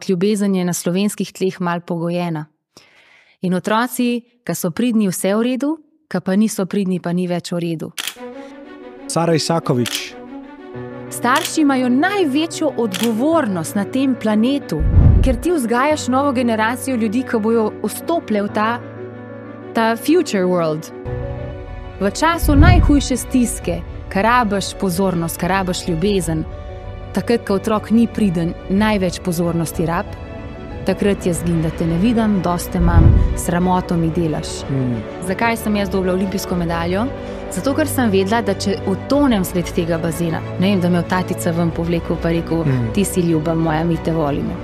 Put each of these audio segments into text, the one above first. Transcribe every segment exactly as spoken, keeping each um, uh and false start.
Ljubezen je na slovenskih tleh mal pogojena. In otroci, ki so pridni, vse v redu, ki pa niso pridni, pa ni več v redu. Sara Isakovič. Starši imajo največjo odgovornost na tem planetu, ker ti vzgajaš novo generacijo ljudi, ki bojo vstopile v ta, ta future world. V času najhujše stiske, kar rabiš pozornost, kar rabiš ljubezen, takrat, ko otrok ni priden, največ pozornosti rab, takrat jaz zgin, da te ne vidim, dosti imam, sramoto mi delaš. Mm. Zakaj sem jaz dobila olimpijsko medaljo? Zato, ker sem vedela, da če utonem svet tega bazena, ne vem, da me v tatica ven povlekel pa rekel, mm. ti si ljuba moja, mi te volimo.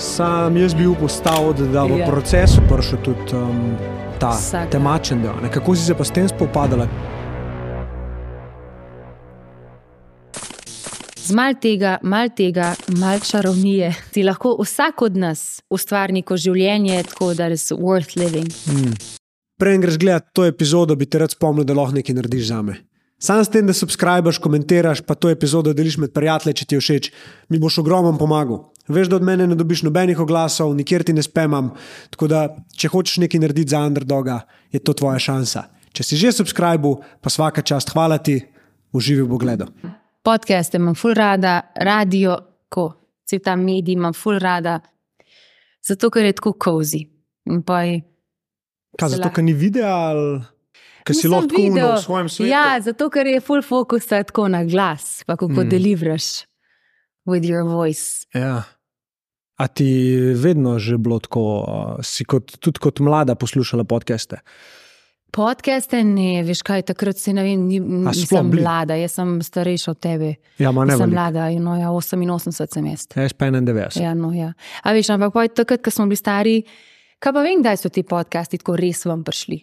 Sam jaz bil postavil, da v yeah. procesu prišel tudi um, ta Vsak. temačen del. Kako si se pa s tem spopadala? Z mal tega, mal tega, mal čarovnije, ti lahko vsak od nas ustvari neko življenje, tako da je worth living. Mm. Prej greš gledati to epizodo, bi te rad spomnil, da lahko nekaj narediš zame. Sam s tem, da subscribeš, komentiraš, pa to epizodo deliš med prijatelji, če ti je všeč, mi boš ogromno pomagal. Veš, da od mene ne dobiš nobenih oglasov, nikjer ti ne spamam, tako da, če hočeš nekaj narediti za underdoga, je to tvoja šansa. Če si že subscribil, pa svaka čast, hvala ti, uživi v pogledu. Podcaste imam ful rada, radio, ko, cel ta medij imam ful rada, zato, ker je tako cozy. In pa je... Kaj, zato, ker ni videa ali... Ker si lahko v svojem svetu? Ja, zato, ker je full focus tako na glas, pa kako mm. deliveraš with your voice. Ja. A ti vedno že bilo tako, si kot, tudi kot mlada poslušala podcaste? Podcaste ne, veš kaj, takrat si ne vem, nisem mlada, jaz sem starejša od tebe. Ja, ma ne sem veliko. Mlada, no ja, oseminosemdeset sem jaz. Ja, jaz pa enaindevetdeset. Ja, no ja. A veš, ampak pa takrat, ko smo bili stari, kaj pa vem, kdaj so ti podcasti tako res vam prišli?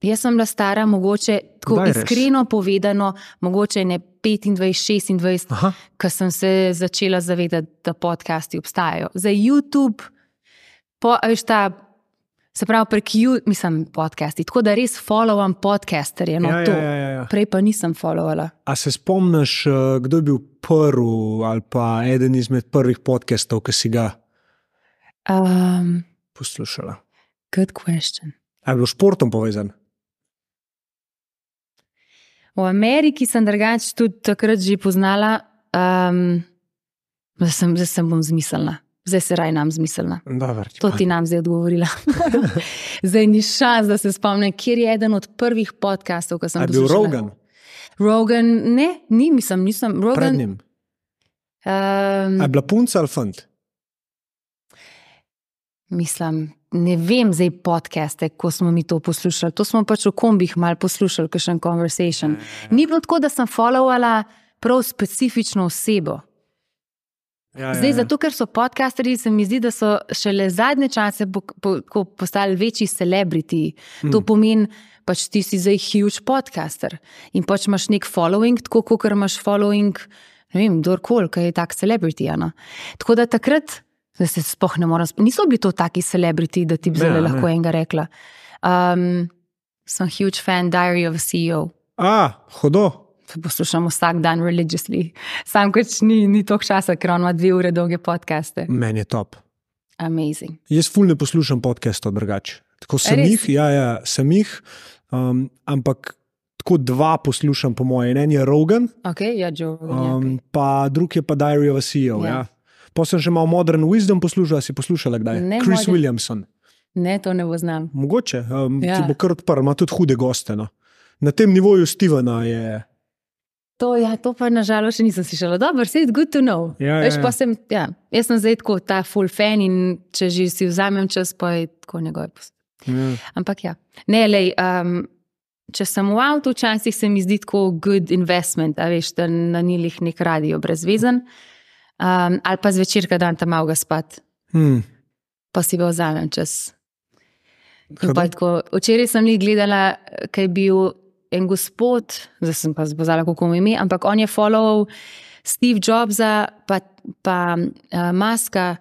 Jaz sem bila stara, mogoče, tako Daj, iskreno res. Povedano, mogoče ne petindvajset, šestindvajset, ko sem se začela zavedati, da podcasti obstajajo. Za YouTube, po, veš ta, se pravi prek YouTube, mislim podcasti, tako da res followam podcasterje, no ja, to. Ja, ja, ja. Prej pa nisem followala. A se spomniš, kdo je bil prvi ali pa eden izmed prvih podcastov, ki si ga um, poslušala? Good question. A je bil športom povezan? V Ameriki sem drugače tudi takrat že poznala, um, zdaj, sem, zdaj sem bom zmislila. Zdaj se raj nam zmislila. Dobar, to ti nam zdaj odgovorila. Zdaj ni šans, da se spomnim, kjer je eden od prvih podcastov, ko sem poslušala. A je bil Rogan? Rogan, ne, ni, mislim, nisem. Rogan, Pred njim? Um, A je bila punca ali fant? Mislim, ne vem zdaj podcaste, ko smo mi to poslušali. To smo pač v kombih malo poslušali, kakšen conversation. Ni bilo tako, da sem followala prav specifično osebo. Ja, zdaj, ja, ja. zato, ker so podcasterji, se mi zdi, da so šele zadnje čase po, po, po, postali večji celebrity. Mm. To pomeni, pač ti si zdaj huge podcaster in pač imaš nek following, tako kot imaš following, ne vem, kdorkoli, ki je tak celebrity. Ja, no? Tako da takrat da se spoh ne moram, niso bili to taki celebrity, da ti bi zelo lahko enega rekla. Um, sem huge fan Diary of a C E O. A, hodo. Poslušam vsak dan religiously. Sam kot ni, ni toliko časa, ker on ima dve ure dolge podcaste. Meni je top. Amazing. Jaz ful ne poslušam podcastov drugače. Tako sem Res? jih, ja, ja, sem jih, um, ampak tako dva poslušam po moje. En je Rogan, Ok, ja, Joe Rogan. um, Okay. pa drug je pa Diary of a C E O, ja. Ja. Pa sem še malo Modern Wisdom poslušala, si poslušala kdaj? Ne, Chris modern- Williamson. Ne, to ne bo znam. Mogoče, um, Ja. ti bo kar odprl, ima tudi hude goste. No. Na tem nivoju Stevena je... To, ja, to pa nažalost še nisem slišala. Dobro, c'est good to know. Ja, Veš, ja, ja. pa sem, ja, jaz sem zdaj tako ta full fan in če že si vzamem čas, pa je tako njegove post. Ja. Ampak ja. Ne, lej, um, če sem v avtu, včasih se mi zdi tako good investment, a veš, da na njih nek radio brezvezen. Um, ali pa zvečer, kad dan tam malo ga spat, Hmm. pa si ga vzamem čas. In Hudo. pa tako, včeraj sem jih gledala, kaj je bil en gospod, zdaj sem pa zbozala, kako mu ime, ampak on je followal Steve Jobsa pa, pa uh, Muska,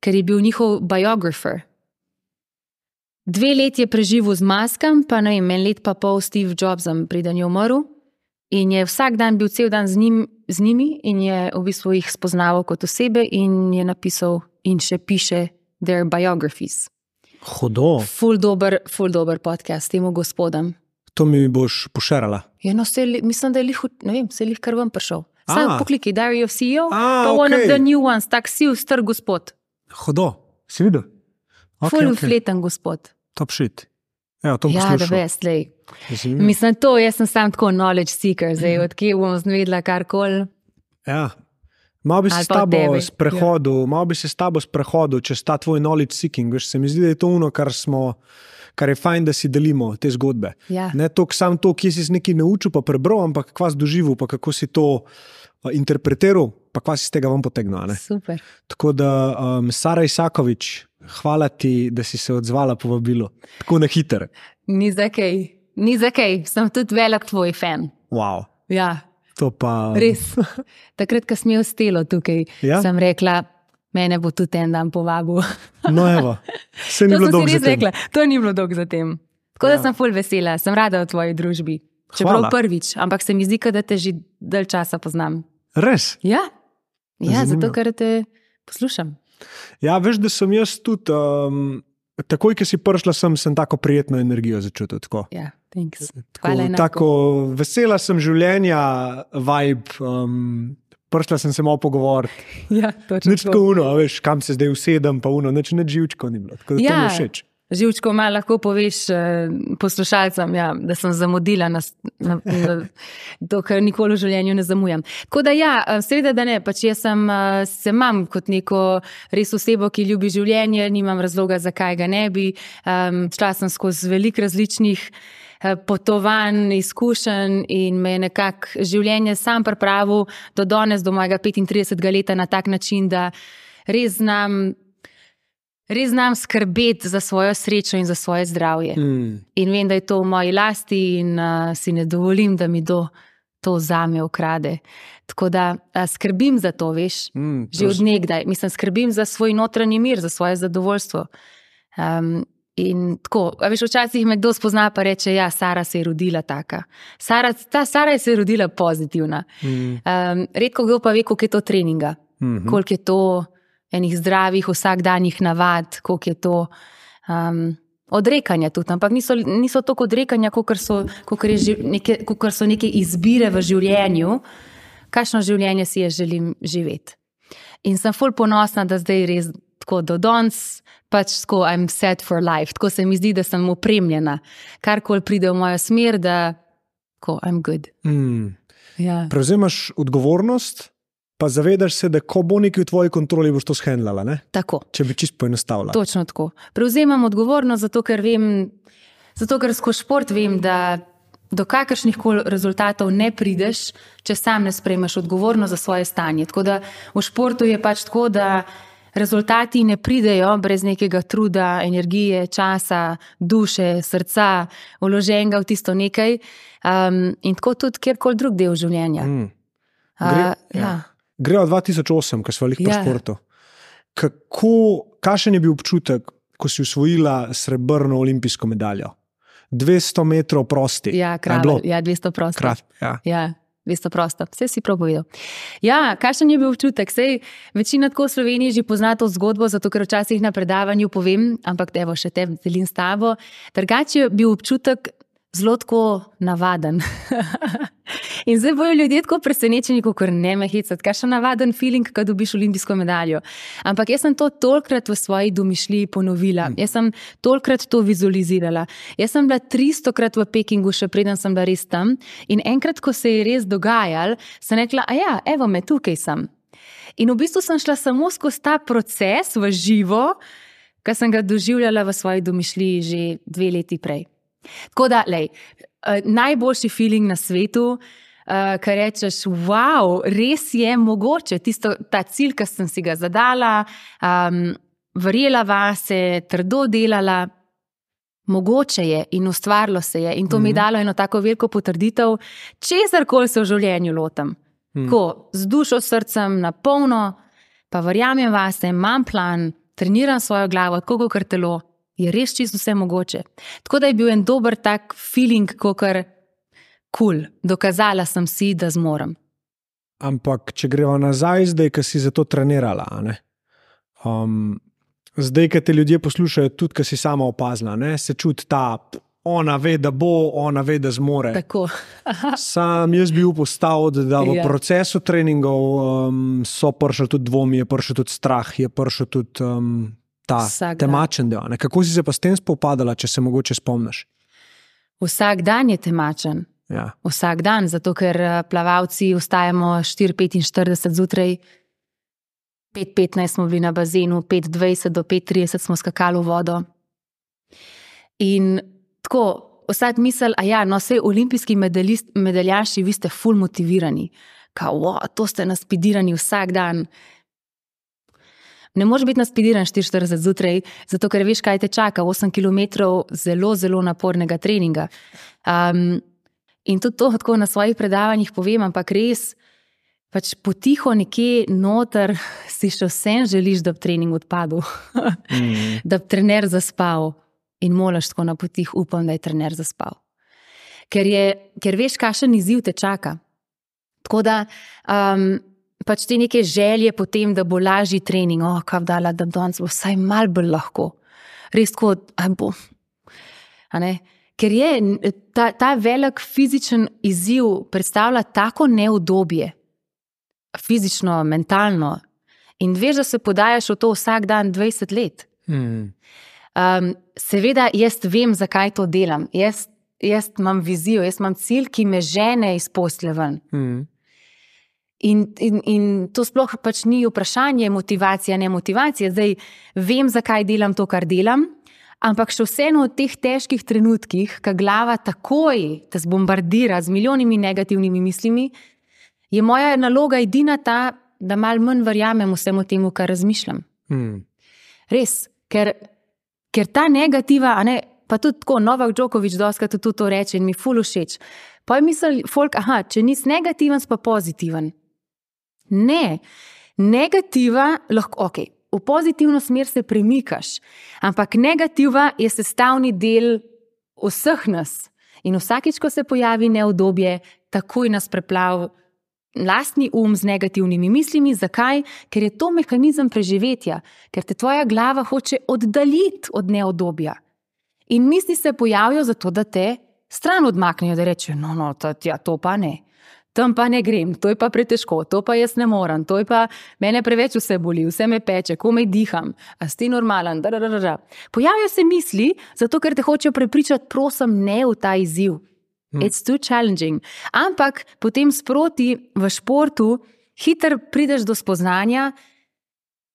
ker je bil njihov biographer. Dve let je preživel z Muskom, pa ne vem, en let pa pol Steve Jobsom, preden je umrl. In je vsak dan bil cel dan z, njim, z njimi in je v bistvu jih spoznaval kot osebe in je napisal in še piše their biographies. Hudo. Ful dober, ful dober podcast temu gospodom. To mi boš pošerala. Ja, no, se, mislim, da je lih, ne vem, se je lih kar vam prišel. Sam A. poklikaj Diary of C E O, A, pa one okej. of the new ones, tak si star gospod. Hudo. Si videl? Okay, ful okay. fleten gospod. Top shit. Evo, to bom Ja, poslušal. da veš, lej. Mislim, to, jaz sem sam tako knowledge seeker, zdaj, odkje bom zvedla karkoli. Ja. Malo bi se Ali s pa tabo tebi. sprehodil, malo bi se s tabo sprehodil čez ta tvoj knowledge seeking. Veš, se mi zdi, da je to ono, kar smo, kar je fajn, da si delimo te zgodbe. Ja. Ne toliko sam to, kje si se nekaj naučil, pa prebral, ampak kva si doživel, pa kako si to uh, interpretiral, pa kva si z tega vam potegnil. a Ne? Super. Tako da, um, Sara Isakovič, hvala ti, da si se odzvala povabilo. Tako na hiter. Ni za kaj, ni za kaj, sem tudi velik tvoj fan. Wow. Ja, To pa... res. Takrat, ko sem imel stelo tukaj, Ja? sem rekla, mene bo tudi en dan povabil. No evo, se ni To bilo sem dolgo si res za tem. rekla, to ni bilo dolgo za tem. Tako da Ja. sem ful vesela, sem rada v tvoji družbi. Čeprav Hvala. prvič, ampak se mi zdi, da te že dalj časa poznam. Res? Ja, ja Zanimivo. zato ker te poslušam. Ja, veš, da sem jaz tudi, um, takoj, ko si prišla sem, sem tako prijetno energijo začutil. Tako, Ja, thanks. tako, Hvala enako. tako vesela sem življenja, vibe, um, prišla sem se malo pogovoriti. Ja, točno Nič tako uno, a veš, kam se zdaj usedem, pa uno, nič ne živčko ni bilo. Tako da to mi Ja. je všeč. Živčko malo lahko poveš eh, poslušalcem, ja, da sem zamudila na, na, na to, kar nikoli v življenju ne zamujam. Tako da ja, eh, seveda, da ne, pač jaz sem, eh, se imam kot neko res osebo, ki ljubi življenje, nimam razloga, zakaj ga ne bi. Um, šla sem skozi veliko različnih eh, potovanj, izkušenj in me je nekako življenje sam pripravil do danes, do mojega petintridesetega leta na tak način, da res znam Res znam skrbeti za svojo srečo in za svoje zdravje. Mm. In vem, da je to v moji lasti in uh, si ne dovolim, da mi do to vzame, ukrade. Tako da uh, skrbim za to, veš, Mm, že od nekdaj. Mislim, skrbim za svoj notranji mir, za svoje zadovoljstvo. Um, in tako, a veš, včasih me kdo spozna pa reče, ja, Sara se je rodila taka. Sara, ta Sara se je rodila pozitivna. Mm. Um, redko kdo pa ve, koliko je to treninga, Mhm. koliko je to enih zdravih, vsakdanjih navad, koliko je to um, odrekanja tudi, ampak niso, niso toliko odrekanja, kolikor so, kolikor je ži- neke, kolikor so neke izbire v življenju, kakšno življenje si jaz želim živeti. In sem ful ponosna, da zdaj res tako do danes, pač tako I'm set for life, tako se mi zdi, da sem opremljena, karkoli pride v mojo smer, da tako I'm good. Mm. Ja. Prevzemaš odgovornost, pa zavedaš se, da ko bo nekaj v tvoji kontroli, boš to shendlala, ne? Tako. Če bi čisto poenostavila. Točno tako. Prevzemam odgovornost, zato ker vem, zato ker skozi šport vem, da do kakršnih koli rezultatov ne prideš, če sam ne sprejmeš odgovornost za svoje stanje. Tako da v športu je pač tako, da rezultati ne pridejo brez nekega truda, energije, časa, duše, srca, vloženega v tisto nekaj. Um, in tako tudi kjerkoli drug del življenja. Mm. Uh, Gre- ja. Greva dva tisoč osem, ko smo bili Ja. po športu. Kako, kakšen je bil občutek, ko si osvojila srebrno olimpijsko medaljo? dvesto metrov prosti. Ja, A je kralj, bilo? ja, dvesto prosto. Krat, ja. Ja, dvesto prosto. Vse si prav povedal. Ja, kakšen je bil občutek? Sej, večina tako v Sloveniji že pozna to zgodbo, zato ker včasih na predavanju povem, ampak evo, še te delim s tabo. Drugače je bil občutek zelo tako navaden. In zdaj bojo ljudje tako presenečeni, kot ne me hecati. Kakšen navaden feeling, ko dobiš olimpijsko medaljo. Ampak jaz sem to tolikrat v svoji domišljiji ponovila. Jaz sem tolikrat to vizualizirala. Jaz sem bila tristokrat v Pekingu, še preden sem bila res tam. In enkrat, ko se je res dogajalo, sem rekla, a ja, evo me, tukaj sem. In v bistvu sem šla samo skozi ta proces v živo, ki sem ga doživljala v svoji domišljiji že dve leti prej. Tako da, lej, najboljši feeling na svetu, Uh, kar rečeš, wow, res je mogoče, tisto, ta cilj, ki sem si ga zadala, um, verjela vase, trdo delala, mogoče je in ustvarilo se je in to mm-hmm. mi je dalo eno tako veliko potrditev, česarkoli se v življenju lotam. Mm. Ko, z dušo, srcem, na polno, pa verjamem vase, imam plan, treniram svojo glavo, tako kot telo, je res čisto vse mogoče. Tako da je bil en dober tak feeling, kakor Cool. Dokazala sem si, da zmorem. Ampak, če greva nazaj zdaj, ki si za to trenirala, a ne? Um, zdaj, ko te ljudje poslušajo, tudi, ko si sama opazila, ne, se čuti ta, ona ve, da bo, ona ve, da zmore. Tako. Sam jaz bi upostal, da v Ja. procesu treningov um, so prišli tudi dvomi, je prišel tudi strah, je prišel tudi um, ta Vsak dan. temačen del. Ne? Kako si se pa s tem spopadala, če se mogoče spomniš? Vsak dan je temačen. Ja. Vsak dan, zato ker eh, plavalci vstajamo štiri petinštirideset zjutraj, pet petnajst smo bili na bazenu, pet dvajset do pet trideset smo skakali v vodo. In tako, vsak misel, a ja, no, sej olimpijski medalist, medaljaši, vi ste ful motivirani. Kao, wow, to ste naspidirani vsak dan. Ne moreš biti naspidiran štiri štirideset zjutraj, zato ker veš, kaj te čaka, osem kilometrov zelo, zelo napornega treninga. Um, in tudi to tako na svojih predavanjih povem, ampak res, pač potiho nekje noter si še vsem želiš, da bi trening odpadel, mm. da bi trener zaspal. In molaš tako na potih, upam, da je trener zaspal. Ker, je, ker veš, kakšen izziv te čaka. Tako da, um, pač te neke želje potem, da bo lažji trening, oh, kaj dala, da danes bo vsaj mal bolj lahko. Res tako, a bo. A ne? Ker je ta, ta velik fizičen izziv predstavlja tako neudobje, fizično, mentalno, in veš, da se podajaš v to vsak dan dvajset let. Mm. Um, seveda, jaz vem, zakaj to delam. Jaz, jaz imam vizijo, jaz imam cilj, ki me žene iz posle ven. Mm. In, in, in to sploh pač ni vprašanje motivacija, ne motivacija. Zdaj vem, zakaj delam to, kar delam, ampak še vseeno v teh težkih trenutkih, ko glava takoj te zbombardira z milijonimi negativnimi mislimi, je moja naloga edina ta, da malo manj verjamem vsemu temu, kar razmišljam. Mm. Res, ker Ker ta negativa, a ne, pa tudi tako, Novak Djokovic doskrat tudi to reče in mi ful všeč. Pa je misel, folk, aha, če nisi negativen, si pa pozitiven. Ne, negativa lahko, ok, v pozitivno smer se premikaš, ampak negativa je sestavni del vseh nas. In vsakič, ko se pojavi neudobje, takoj nas preplav lastni um z negativnimi mislimi. Zakaj? Ker je to mehanizem preživetja, ker te tvoja glava hoče oddaljiti od neudobja. In misli se pojavijo zato, da te stran odmaknejo, da rečejo, no, no, to, ja, to pa ne. Tam pa ne grem, to je pa pretežko, to pa jaz ne morem, to je pa mene preveč vse boli, vse me peče, komaj diham, a si ti normalen, da, da, da, da. Pojavijo se misli, zato ker te hočejo prepričati, prosim, ne v ta izziv. It's too challenging. Ampak potem sproti v športu hitro prideš do spoznanja,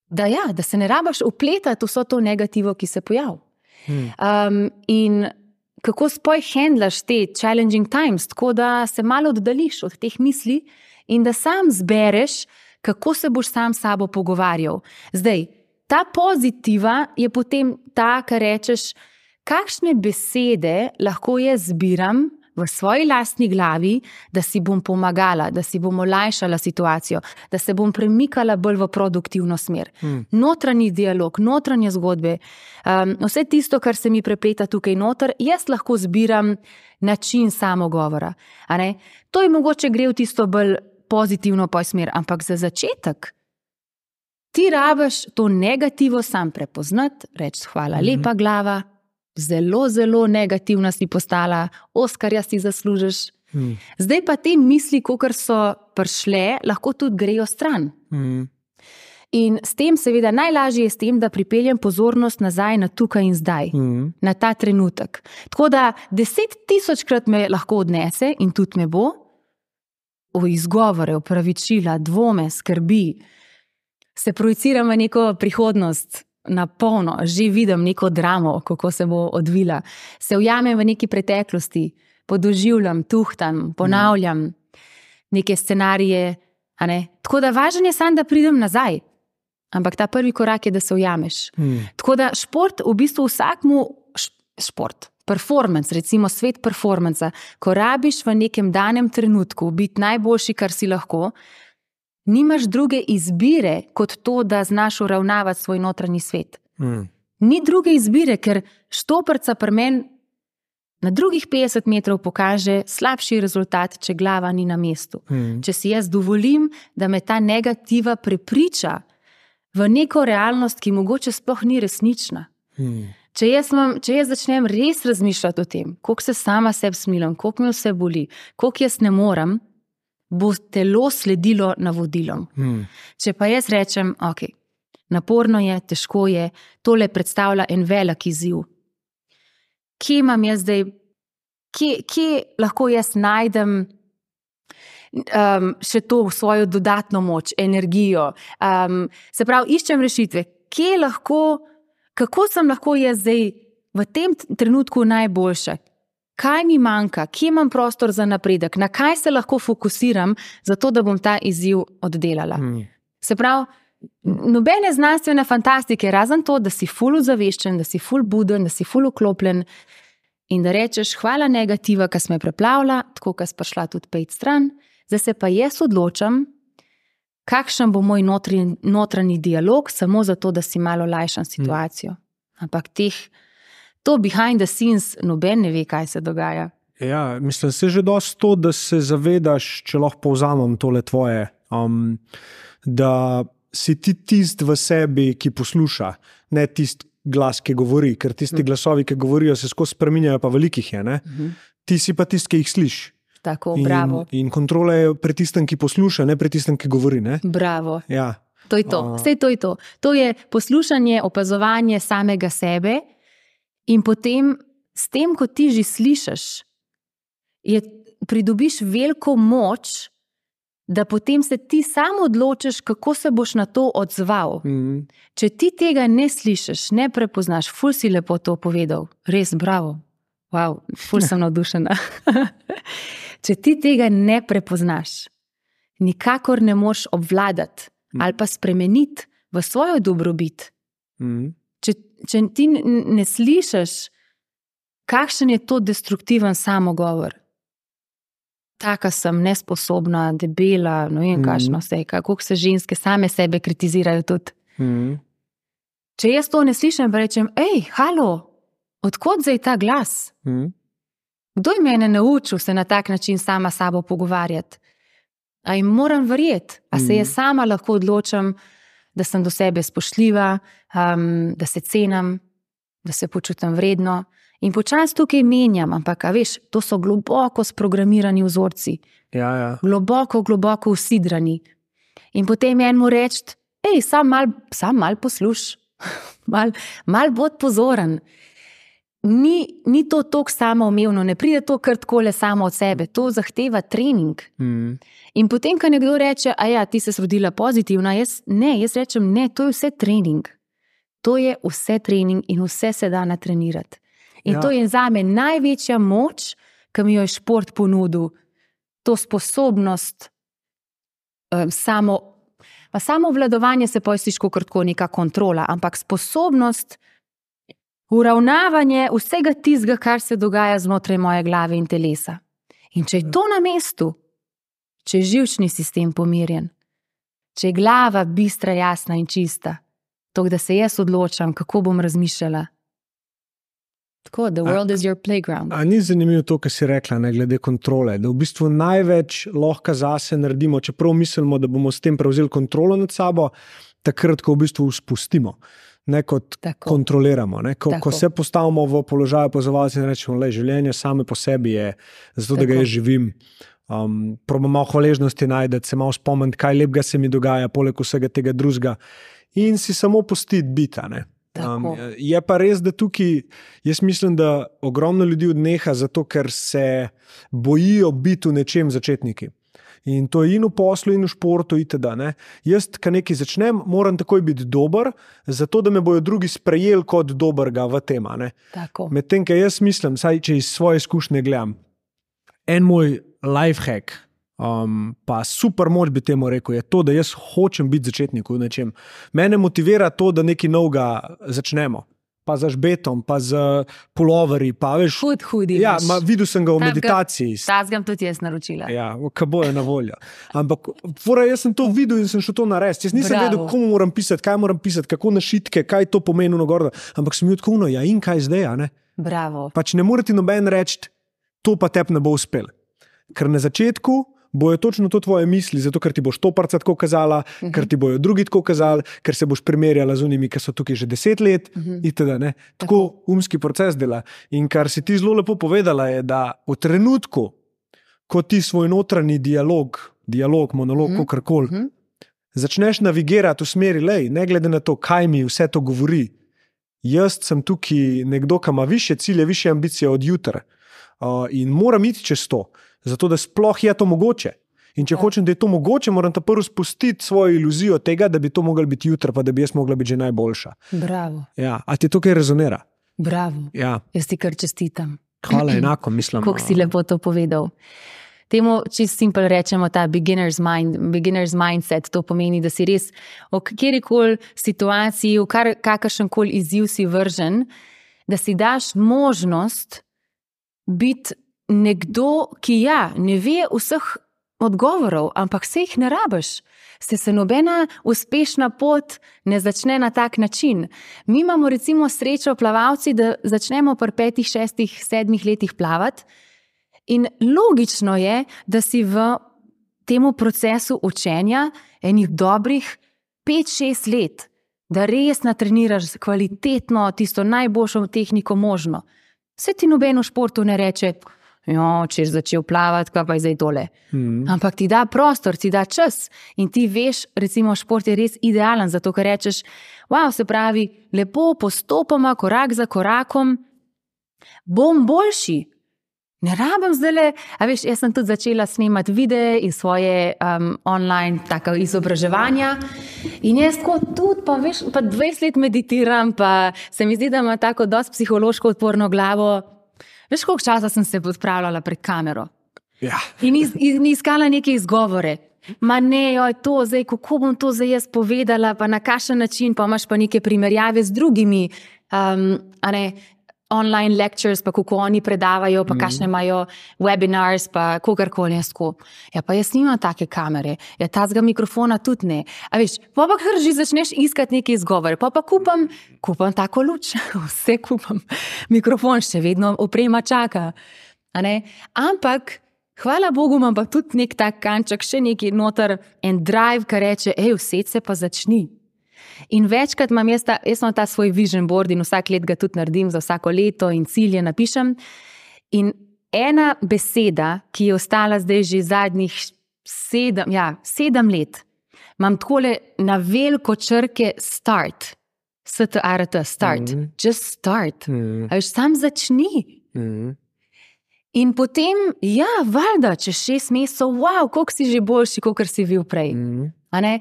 da, ja, da se ne rabaš upletati vso to negativo, ki se pojavi. Hmm. Um, in kako spoj handlaš te challenging times, tako da se malo oddališ od teh misli in da sam zbereš, kako se boš sam s sabo pogovarjal. Zdaj, ta pozitiva je potem ta, kar rečeš, kakšne besede lahko jaz zbiram v svoji lastni glavi, da si bom pomagala, da si bom olajšala situacijo, da se bom premikala bolj v produktivno smer. Hmm. Notranji dialog, notranje zgodbe, um, vse tisto, kar se mi prepleta tukaj noter, jaz lahko zbiram način samogovora. A ne? To je mogoče gre v tisto bolj pozitivno poj smer, ampak za začetek ti rabiš to negativo sam prepoznati, reči hvala hmm. lepa glava, zelo, zelo negativna si postala, Oskarja si zaslužiš. Hmm. Zdaj pa te misli, kakor so prišle, lahko tudi grejo stran. Hmm. In s tem seveda najlažje je s tem, da pripeljem pozornost nazaj na tukaj in zdaj, hmm. na ta trenutek. Tako da deset tisočkrat me lahko odnese in tudi me bo v izgovore, opravičila, dvome, skrbi, se projiciram v neko prihodnost, na polno, že vidim neko dramo, kako se bo odvila. Se ujamem v neki preteklosti, podoživljam, tuhtam, ponavljam neke scenarije. A ne? Tako da važno je samo, da pridem nazaj. Ampak ta prvi korak je, da se ujameš. Hmm. Tako da šport, v bistvu vsakmu šport, performance, recimo svet performanca, ko rabiš v nekem danem trenutku biti najboljši, kar si lahko, nimaš druge izbire, kot to, da znaš uravnavati svoj notranji svet. Mm. Ni druge izbire, ker štoprca pri meni na drugih petdeset metrov pokaže slabši rezultat, če glava ni na mestu. Mm. Če si jaz dovolim, da me ta negativa prepriča v neko realnost, ki mogoče sploh ni resnična. Hmm. Če jaz, mam, če jaz začnem res razmišljati o tem, koliko se sama sebi smilim, koliko me vse boli, koliko jaz ne morem, bo telo sledilo navodilom. Hmm. Če pa jaz rečem, ok, naporno je, težko je, tole predstavlja en velik izziv. Kje imam jaz zdaj, kje, kje lahko jaz najdem um, še to svojo dodatno moč, energijo. Um, se pravi, iščem rešitve. Kje lahko, kako sem lahko jaz zdaj v tem trenutku najboljša? Kaj mi manjka? Kje imam prostor za napredek? Na kaj se lahko fokusiram, zato da bom ta izziv oddelala? Hmm. Se pravi, nobene znanstvene fantastike, razen to, da si ful ozaveščen, da si ful buden, da si ful vklopljen in da rečeš, hvala negativa, ki smo je preplavila, tako, ki sem prišla tudi pet stran, zdaj se pa jaz odločam, kakšen bo moj notranji, notranji dialog, samo zato, da si malo lajšam situacijo. Hmm. Ampak teh, to behind the scenes, noben ne ve, kaj se dogaja. Ja, mislim, se že dosti to, da se zavedaš, če lahko povzamem tole tvoje, um, da si ti tist v sebi, ki posluša, ne tist glas, ki govori, ker tisti glasovi, ki govorijo, se skozi spreminjajo, pa velikih je, ne? Uh-huh. Ti si pa tist, ki jih sliš. Tako, bravo. In, in kontrola je pri tistem, ki posluša, ne pri tistem, ki govori, ne? Bravo. Ja. To je to, vse to je to. To je poslušanje, opazovanje samega sebe in potem s tem, ko ti že slišiš, je, pridobiš veliko moč, da potem se ti sam odločiš, kako se boš na to odzval. Mm. Če ti tega ne slišiš, ne prepoznaš, ful si lepo to povedal, res bravo, wow, ful sem navdušena. Če ti tega ne prepoznaš, nikakor ne moš obvladati mm. ali pa spremeniti v svojo dobrobit. Mm. Če, če ti ne slišiš, kakšen je to destruktiven samogovor. Taka sem, nesposobna, debela, no vem, kakšno vse, kako se ženske same sebe kritizirajo tudi. Mm. Če jaz to ne slišim, pa rečem, ej, halo, odkot zdaj ta glas? Mm. Kdo je mene naučil se na tak način sama sabo pogovarjati? A jim moram verjeti? A se jaz sama lahko odločam, da sem do sebe spoštljiva, um, da se cenim, da se počutim vredno? In počasi tukaj menjam, ampak, a veš, to so globoko sprogramirani vzorci. Ja, ja. Globoko, globoko usidrani. In potem enemu reči, ej, sam mal, sam mal posluš, mal, mal bod pozoren. Ni, ni to toliko samoumevno, ne pride to kar takole samo od sebe, to zahteva trening. Mm. In potem, ko nekdo reče, a ja, ti se rodila pozitivna, jaz, ne, jaz rečem, ne, to je vse trening. To je vse trening in vse se da natrenirati. In ja. To je zame največja moč, ki mi jo je šport ponudil. To sposobnost, um, samo, pa samo vladovanje se pojstiško kratko neka kontrola, ampak sposobnost uravnavanje vsega tistega, kar se dogaja znotraj moje glave in telesa. In če je to na mestu, če je živčni sistem pomirjen, če je glava bistra, jasna in čista, to, da se jaz odločam, kako bom razmišljala. Tako, the world a, is your playground. A ni zanimivo to, kar si rekla, ne, glede kontrole, da v bistvu največ lahko zase naredimo, čeprav mislimo, da bomo s tem prevzeli kontrolo nad sabo, takrat, ko v bistvu spustimo, ne kot tako. Kontroliramo. Ne, ko, ko se postavimo v položaj opazovalca in rečemo, le, življenje same po sebi je, zato tako. Da ga jaz živim. Um, probam malo hvaležnosti najdeti, se malo spomniti, kaj lepega se mi dogaja, poleg vsega tega drugega in si samo pustiti bita, ne. Um, je pa res, da tukaj, jaz mislim, da ogromno ljudi odneha zato, ker se bojijo biti v nečem začetniki. In to je in v poslu, in v športu, itd. Ne? Jaz, ko nekaj začnem, moram takoj biti dober, zato da me bojo drugi sprejeli kot dobrega v tem. Medtem, ker jaz mislim, saj če iz svoje izkušnje gledam, en moj life hack, Um, pa super moč bi temu rekel, je to, da jaz hočem biti začetnik v nečem. Mene motivira to, da nekaj novega začnemo. Pa z žbetom, pa z puloverji, pa veš... Hud, hudi. Ja, ma, videl sem ga v meditaciji. Ta zgam tudi jaz naročila. Ja, kaj je na voljo. Ampak fora, jaz sem to videl in sem šel to narediti. Jaz nisem Bravo. Vedel, komu moram pisati, kaj moram pisati, kako na šitke, kaj to pomeni nagor. Ampak sem bil tako, no, ja, in kaj zdaj, a ne? Bravo. Pač ne more ti noben reči, to pa tebi ne bo uspel. Ker na začetku bojo točno to tvoje misli, zato ker ti boš to parca tako kazala, uh-huh. ker ti bojo drugi tako kazali, ker se boš primerjala z unimi, ki so tukaj že deset let uh-huh. itd. Ne? Tako, tako umski proces dela. In kar si ti zelo lepo povedala je, da v trenutku, ko ti svoj notranji dialog, dialog, monolog, uh-huh. kakorkoli, uh-huh. začneš navigirati v smeri, lej, ne glede na to, kaj mi vse to govori, jaz sem tukaj nekdo, ki ima više cilje, više ambicije od jutra uh, in moram iti čez to, zato da sploh je to mogoče. In če ja. hočem, da je to mogoče, moram ta prvo spustiti svojo iluzijo tega, da bi to moglo biti jutra, pa da bi jaz mogla biti že najboljša. Bravo. Ja, a ti to kaj rezonira? Bravo. Ja. Jaz ti kar čestitam. Hvala, enako mislim. Kako si lepo to povedal. Temu čisto simpel rečemo ta beginner's mind, beginner's mindset, to pomeni, da si res v kjerikoli situaciji, v kar, kakršenkoli izziv si vržen, da si daš možnost biti nekdo, ki ja, ne ve vseh odgovorov, ampak se jih ne rabiš. Se se nobena uspešna pot ne začne na tak način. Mi imamo recimo srečo plavalci, da začnemo pri petih, šestih, sedmih letih plavati. In logično je, da si v temu procesu učenja enih dobrih pet, šest let, da res natreniraš kvalitetno tisto najboljšo tehniko možno. Se ti noben v športu ne reče, jo, če si začel plavati, kaj pa je zdaj tole. Mm. Ampak ti da prostor, ti da čas in ti veš, recimo šport je res idealen, zato ker rečeš, wow, se pravi, lepo postopoma, korak za korakom, bom boljši. Ne rabim zdajle, a veš, jaz sem tudi začela snemati videe in svoje um, online tako izobraževanja in jaz tako tudi, pa veš, pa dvajset let meditiram, pa se mi zdi, da ima tako dosti psihološko odporno glavo. Veš, koliko časa sem se odpravljala pred kamero? Ja. In, iz, in iskala neke izgovore. Ma ne, joj, to zdaj, kako bom to zdaj jaz povedala, pa na kakšen način, pa imaš pa neke primerjave z drugimi, um, a ne, online lectures, pa kako oni predavajo, pa kakšne imajo webinars, pa kogarkoli jaz tako. Ja, pa jaz nimam take kamere, ja, tazga mikrofona tudi ne. A veš, pa pa kar že začneš iskati neke izgovore, pa pa kupam, kupam tako luč, vse kupam. Mikrofon še vedno oprema čaka. A ne? Ampak, hvala Bogu, imam pa tudi nek tak kanček, še neki noter en drive, ki reče, ej, vsed se pa začni. In večkrat imam jaz ta, jaz imam ta svoj vision board in vsak let ga tudi naredim za vsako leto in cilje napišem. In ena beseda, ki je ostala zdaj že zadnjih sedem, ja, sedem let, imam takole na veliko črke start. S T A R T, start. Mm. Just start. Mm. A veš, sam začni. Mm. In potem, ja, valjda, čez šest mesecev, wow, koliko si že boljši, kolikor si bil prej. Mm. A ne?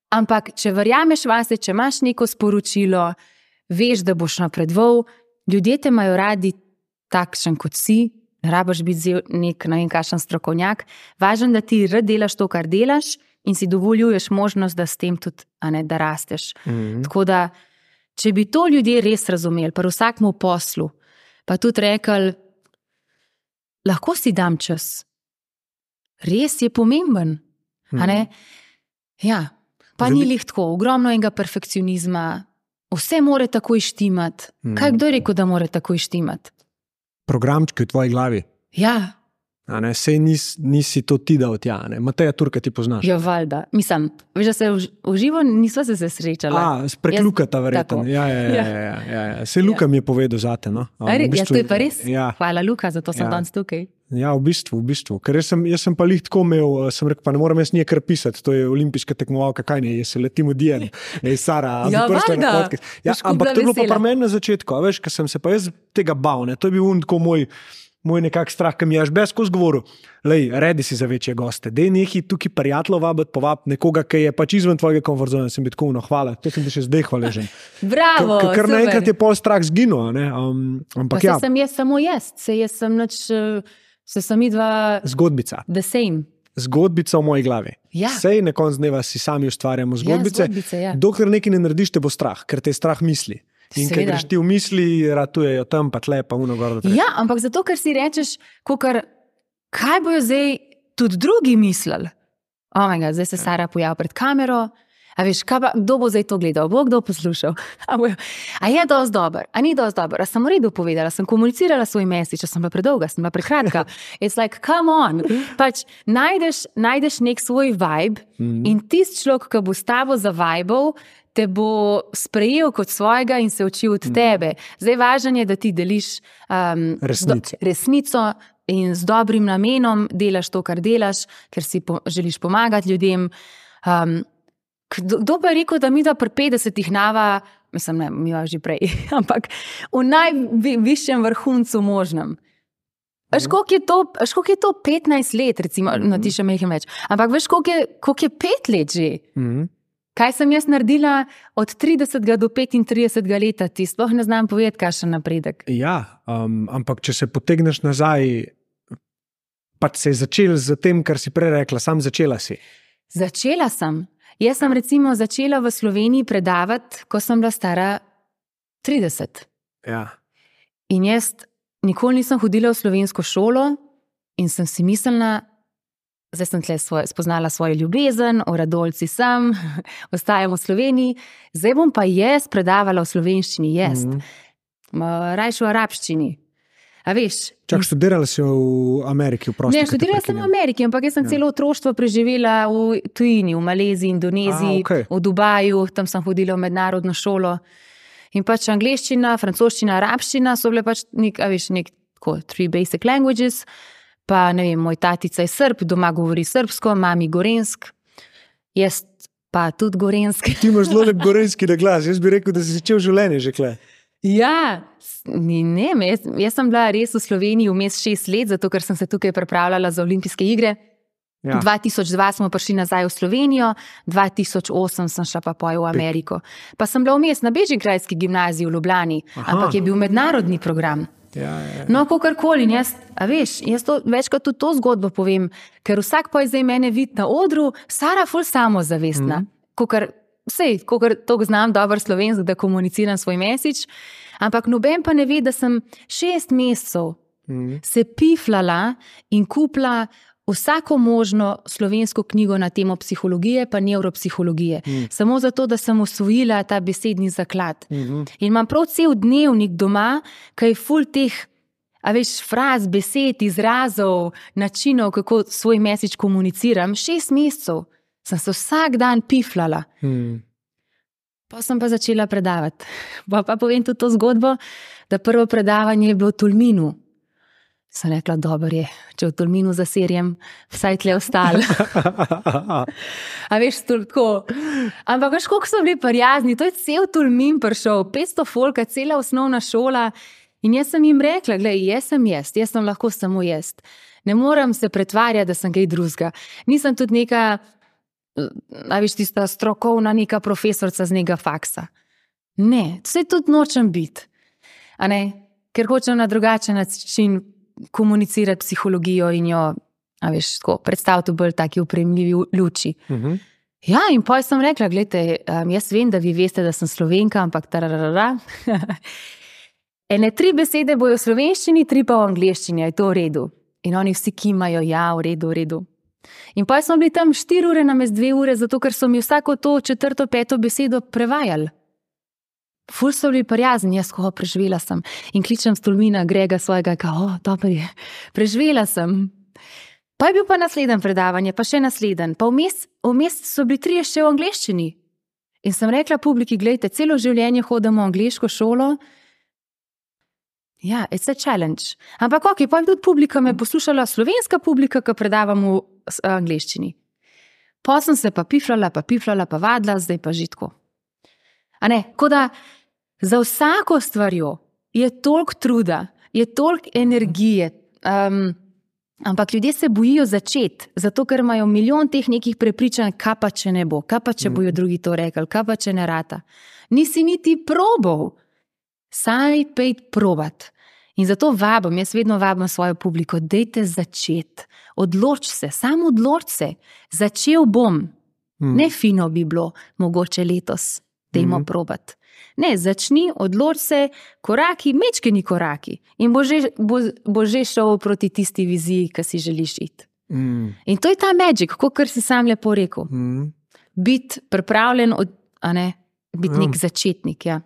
Ampak, če verjameš vase, če imaš neko sporočilo, veš, da boš napredoval, ljudje te imajo radi takšen kot si, ne rabiš biti nek, ne vem, kakšen strokovnjak, važno, da ti rad delaš to, kar delaš in si dovoljuješ možnost, da s tem tudi, a ne, da rasteš. Mm-hmm. Tako da, če bi to ljudje res razumeli, pri vsakmu poslu, pa tudi rekli, lahko si dam čas. Res je pomemben, mm-hmm. a ne? Ja. Pa ni lih tako, ogromno enega perfekcionizma, vse more takoj štimati. Mm. Kaj kdo je rekel, da more takoj štimati? Programčki v tvoji glavi. Ja. A ne, sej nis, nisi to ti dal tja, ne? Mateja Turka ti poznaš. Ja, valjda. Mislim, veš, da se v, v živo nisva se se srečala. A, sprek Lukata verjetno. Ja, ja, ja, ja, ja, ja. Sej Luka ja. mi je povedal zate, no. Um, v bistvu, ja, to je pa res. Ja. Hvala, Luka, zato sem ja. danes tukaj. Ja, v bistvu, v bistvu. Ker jaz sem, jaz sem pa lih tako imel, sem rekel, pa ne moram jaz nije kar pisati, to je olimpijska tekmovalka, kaj ne, jaz se letim v dijen, ej, Sara, ja, valjda. Ja, ampak to je bilo pa pri meni na začetku, a veš, ker sem se pa jaz tega bal, ne, to je bil un tako moj, moj nekak strah, ki mi je až bez skozi govoril, lej, redi si za večje goste, dej nekaj tukaj prijateljev vabiti, povabiti nekoga, ki je pač izven tvojega komfortzone, sem biti tako, no, hvala, to sem ti še zdaj hvaležen. Bravo, K, Ker naenkrat je pol strah zginil, ne, um, ampak pa ja. Pa se sem jaz samo jaz, se jaz sem nič... Se sem idva... Zgodbica. The same. Zgodbica v moji glavi. Ja. Sej na konc dneva si sami ustvarjamo zgodbice. Ja, zgodbice, ja. Dokler nekaj ne narediš, te bo strah, ker te je strah misli. In ker greš ti v misli, ratujejo tam, pa tle, pa uno gor. Ja, ampak zato, ker si rečeš, kakor, kaj bojo zdaj tudi drugi mislili? Oh my God, zdaj se Sara pojavi pred kamero. A veš, pa, kdo bo zdaj to gledal, bo kdo poslušal? A, bo, a je dosti dober, a ni dosti dober, a sem v redu povedala, sem komunicirala svoj message, če sem bila predolga, sem bila prekratka. It's like, come on. Pač najdeš, najdeš nek svoj vibe mm. in tisti človek, ki bo s tabo zavibal, te bo sprejel kot svojega in se učil od tebe. Zdaj važno je, da ti deliš um, resnico. Do, resnico in z dobrim namenom delaš to, kar delaš, ker si po, želiš pomagati ljudem. Um, kdo, kdo pa je rekel, da mi da pri petdesetih nava, mislim, ne, mi že prej, ampak v najvišjem vrhuncu možnem. Veš, koliko je to, veš, koliko je to petnajst let, recimo, mm-hmm. no ti še mehim več, ampak veš, koliko je, koliko je pet let že? Mm-hmm. Kaj sem jaz naredila od tridesetega do petintridesetega leta, ti sploh ne znam povedati, kaj še napredek. Ja, um, ampak če se potegneš nazaj, pač se je začel z tem, kar si prej rekla, sam začela si. Začela sem. Jaz sem recimo začela v Sloveniji predavati, ko sem bila stara trideset. Ja. In jaz nikoli nisem hodila v slovensko šolo in sem si mislila, zdaj sem tle svoj, spoznala svojo ljubezen, o Radolci sem, ostajam v Sloveniji, zdaj bom pa jaz predavala v slovenščini, jaz. Mm-hmm. Rajš v arabščini. A veš? Čak, študirala si v Ameriki, v prosti? Ne, študirala sem v Ameriki, ampak jaz sem ja. celo otroštvo preživela v tujini, v Maleziji, Indoneziji, A, okay. v Dubaju, tam sem hodila v mednarodno šolo. In pač angleščina, francoščina, arabščina so bile pač nek, a veš, nek, tako, three basic languages. Pa, ne vem, moj tatica je Srb, doma govori srbsko, mami gorensk, jaz pa tudi gorensk. Ti imaš zelo lep gorenski na glas, jaz bi rekel, da si začel življenje že kle. Ja, ne, ne, jaz, jaz sem bila res v Sloveniji vmes šest let, zato ker sem se tukaj pripravljala za olimpijske igre. Ja. dva tisoč dva smo prišli nazaj v Slovenijo, dva tisoč osem sem šla pa poj v Ameriko. Pa sem bila vmes na Bežigrajski gimnaziji v Ljubljani, Aha. ampak je bil mednarodni program. Ja, ja, ja. No, kakorkoli, jaz, a veš, jaz to, večkrat tudi to zgodbo povem, ker vsak pa je zdaj mene vid na odru, Sara ful samozavestna, mm. kakor, sej, kakor to znam dober slovensk, da komuniciram svoj message, ampak noben pa ne ve, da sem šest mesecev mm. se piflala in kupla vsako možno slovensko knjigo na temo psihologije pa nevropsihologije. Mm. Samo zato, da sem osvojila ta besedni zaklad. Mm-hmm. In imam prav cel dnevnik doma, kaj je ful teh, a veš, fraz, besed, izrazov, načinov, kako svoj message komuniciram. Šest mesecev sem se vsak dan piflala. Mm. Pa sem pa začela predavati. Pa, pa povem tudi to zgodbo, da prvo predavanje je bilo v Tolminu. Sem rekla, dober je, če v Tolminu zaserjem, vsaj tle ostalo. A veš, tako. Ampak veš, koliko so bili prijazni, to je cel Tolmin prišel, petsto folka, cela osnovna šola. In jaz sem jim rekla, glej, jaz sem jaz, jaz sem lahko samo jaz. Ne moram se pretvarjati, da sem kaj drugega. Nisem tudi neka, a veš, tista strokovna neka profesorca z nega faksa. Ne, vse tudi nočem biti. A ne, ker hočem na drugačen način komunicirati psihologijo in jo, a veš, tako, predstaviti v bolj taki upremljivi luči. Uh-huh. Ja, in potem sem rekla, gledajte, um, jaz vem, da vi veste, da sem Slovenka, ampak tararara. Ene tri besede bojo v slovenščini, tri pa v angleščini, je to v redu. In oni vsi kimajo, ja, v redu, v redu. In potem smo bili tam štiri ure namest dve ure, zato ker so mi vsako to četrto, peto besedo prevajali. Ful so bili prijazni, jaz ko preživela sem. In kličem s Tolmina Grega svojega, kao, o, dobro je, preživela sem. Pa je bil pa naslednje predavanje, pa še naslednje. Pa vmes, vmes so bili trije še v angleščini. In sem rekla publiki, gledajte, celo življenje hodimo v angleško šolo. Ja, it's a challenge. Ampak ok, pa je tudi publika me poslušala, slovenska publika, ki predavam v angleščini. Pa sem se pa piflala, pa piflala, pa vadla, zdaj pa žitko. A ne, ko da za vsako stvarjo je toliko truda, je toliko energije, um, ampak ljudje se bojijo začeti, zato ker imajo milijon teh nekih prepričanj, kaj pa če ne bo, kaj pa če bojo drugi to rekli, kaj pa če ne rata. Nisi niti probal, saj pejt probat. In zato vabim, jaz vedno vabim svojo publiko, dejte začeti, odloč se, samo odloč se, začel bom, hmm. ne fino bi bilo, mogoče letos. Dajmo probat. Ne, začni, odloč se, koraki, mečkeni koraki in bo že, bo, bo že šel proti tisti viziji, ki si želiš iti. Mm. In to je ta magic, kot si sam lepo rekel. Mm. biti pripravljen, od, a ne, biti nek začetnik. Ja.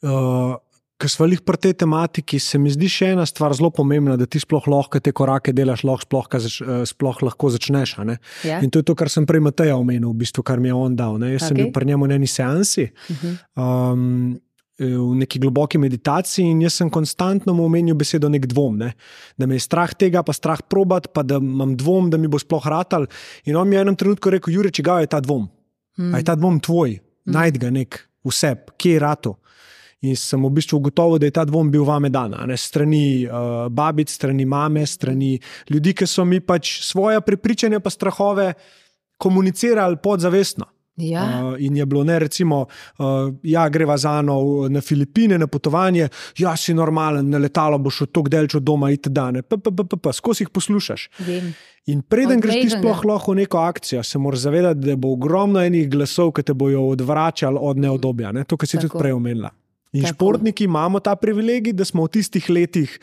Uh, Ker smo lih pri tej tematiki, se mi zdi še ena stvar zelo pomembna, da ti sploh lahko te korake delaš, lahko sploh, zač, sploh lahko začneš. Ja. In to je to, kar sem prej Mateja omenil, v bistvu, kar mi je on dal. Ne? Jaz okay. sem bil pri njemu na eni seansi, uh-huh. um, v neki globoki meditaciji in jaz sem konstantno mu omenil besedo nek dvom. Ne? Da me je strah tega, pa strah probat, pa da imam dvom, da mi bo sploh ratal. In on mi je v enem trenutku rekel, Jure, čigav je ta dvom? Hmm. A je ta dvom tvoj? Hmm. Najd ga nek vseb, kje je rato? In sem v bistvu ugotovil, da je ta dvom bil vame dan, ne? Strani uh, babic, strani mame, strani ljudi, ki so mi pač svoje prepričanja pa strahove komunicirali podzavestno. Ja. Uh, in je bilo, ne, recimo, uh, ja, greva z Ano na Filipine, na potovanje, ja, si normalen, na letalo boš od tok delč od doma itd. Skozi jih poslušaš. Vem. In preden greš ti sploh lahko v neko akcijo, se moraš zavedati, da bo ogromno enih glasov, ki te bojo odvračali od neodobja. Ne? To, kar si Tako. tudi prej omenila. In Tako. športniki imamo ta privilegij, da smo v tistih letih,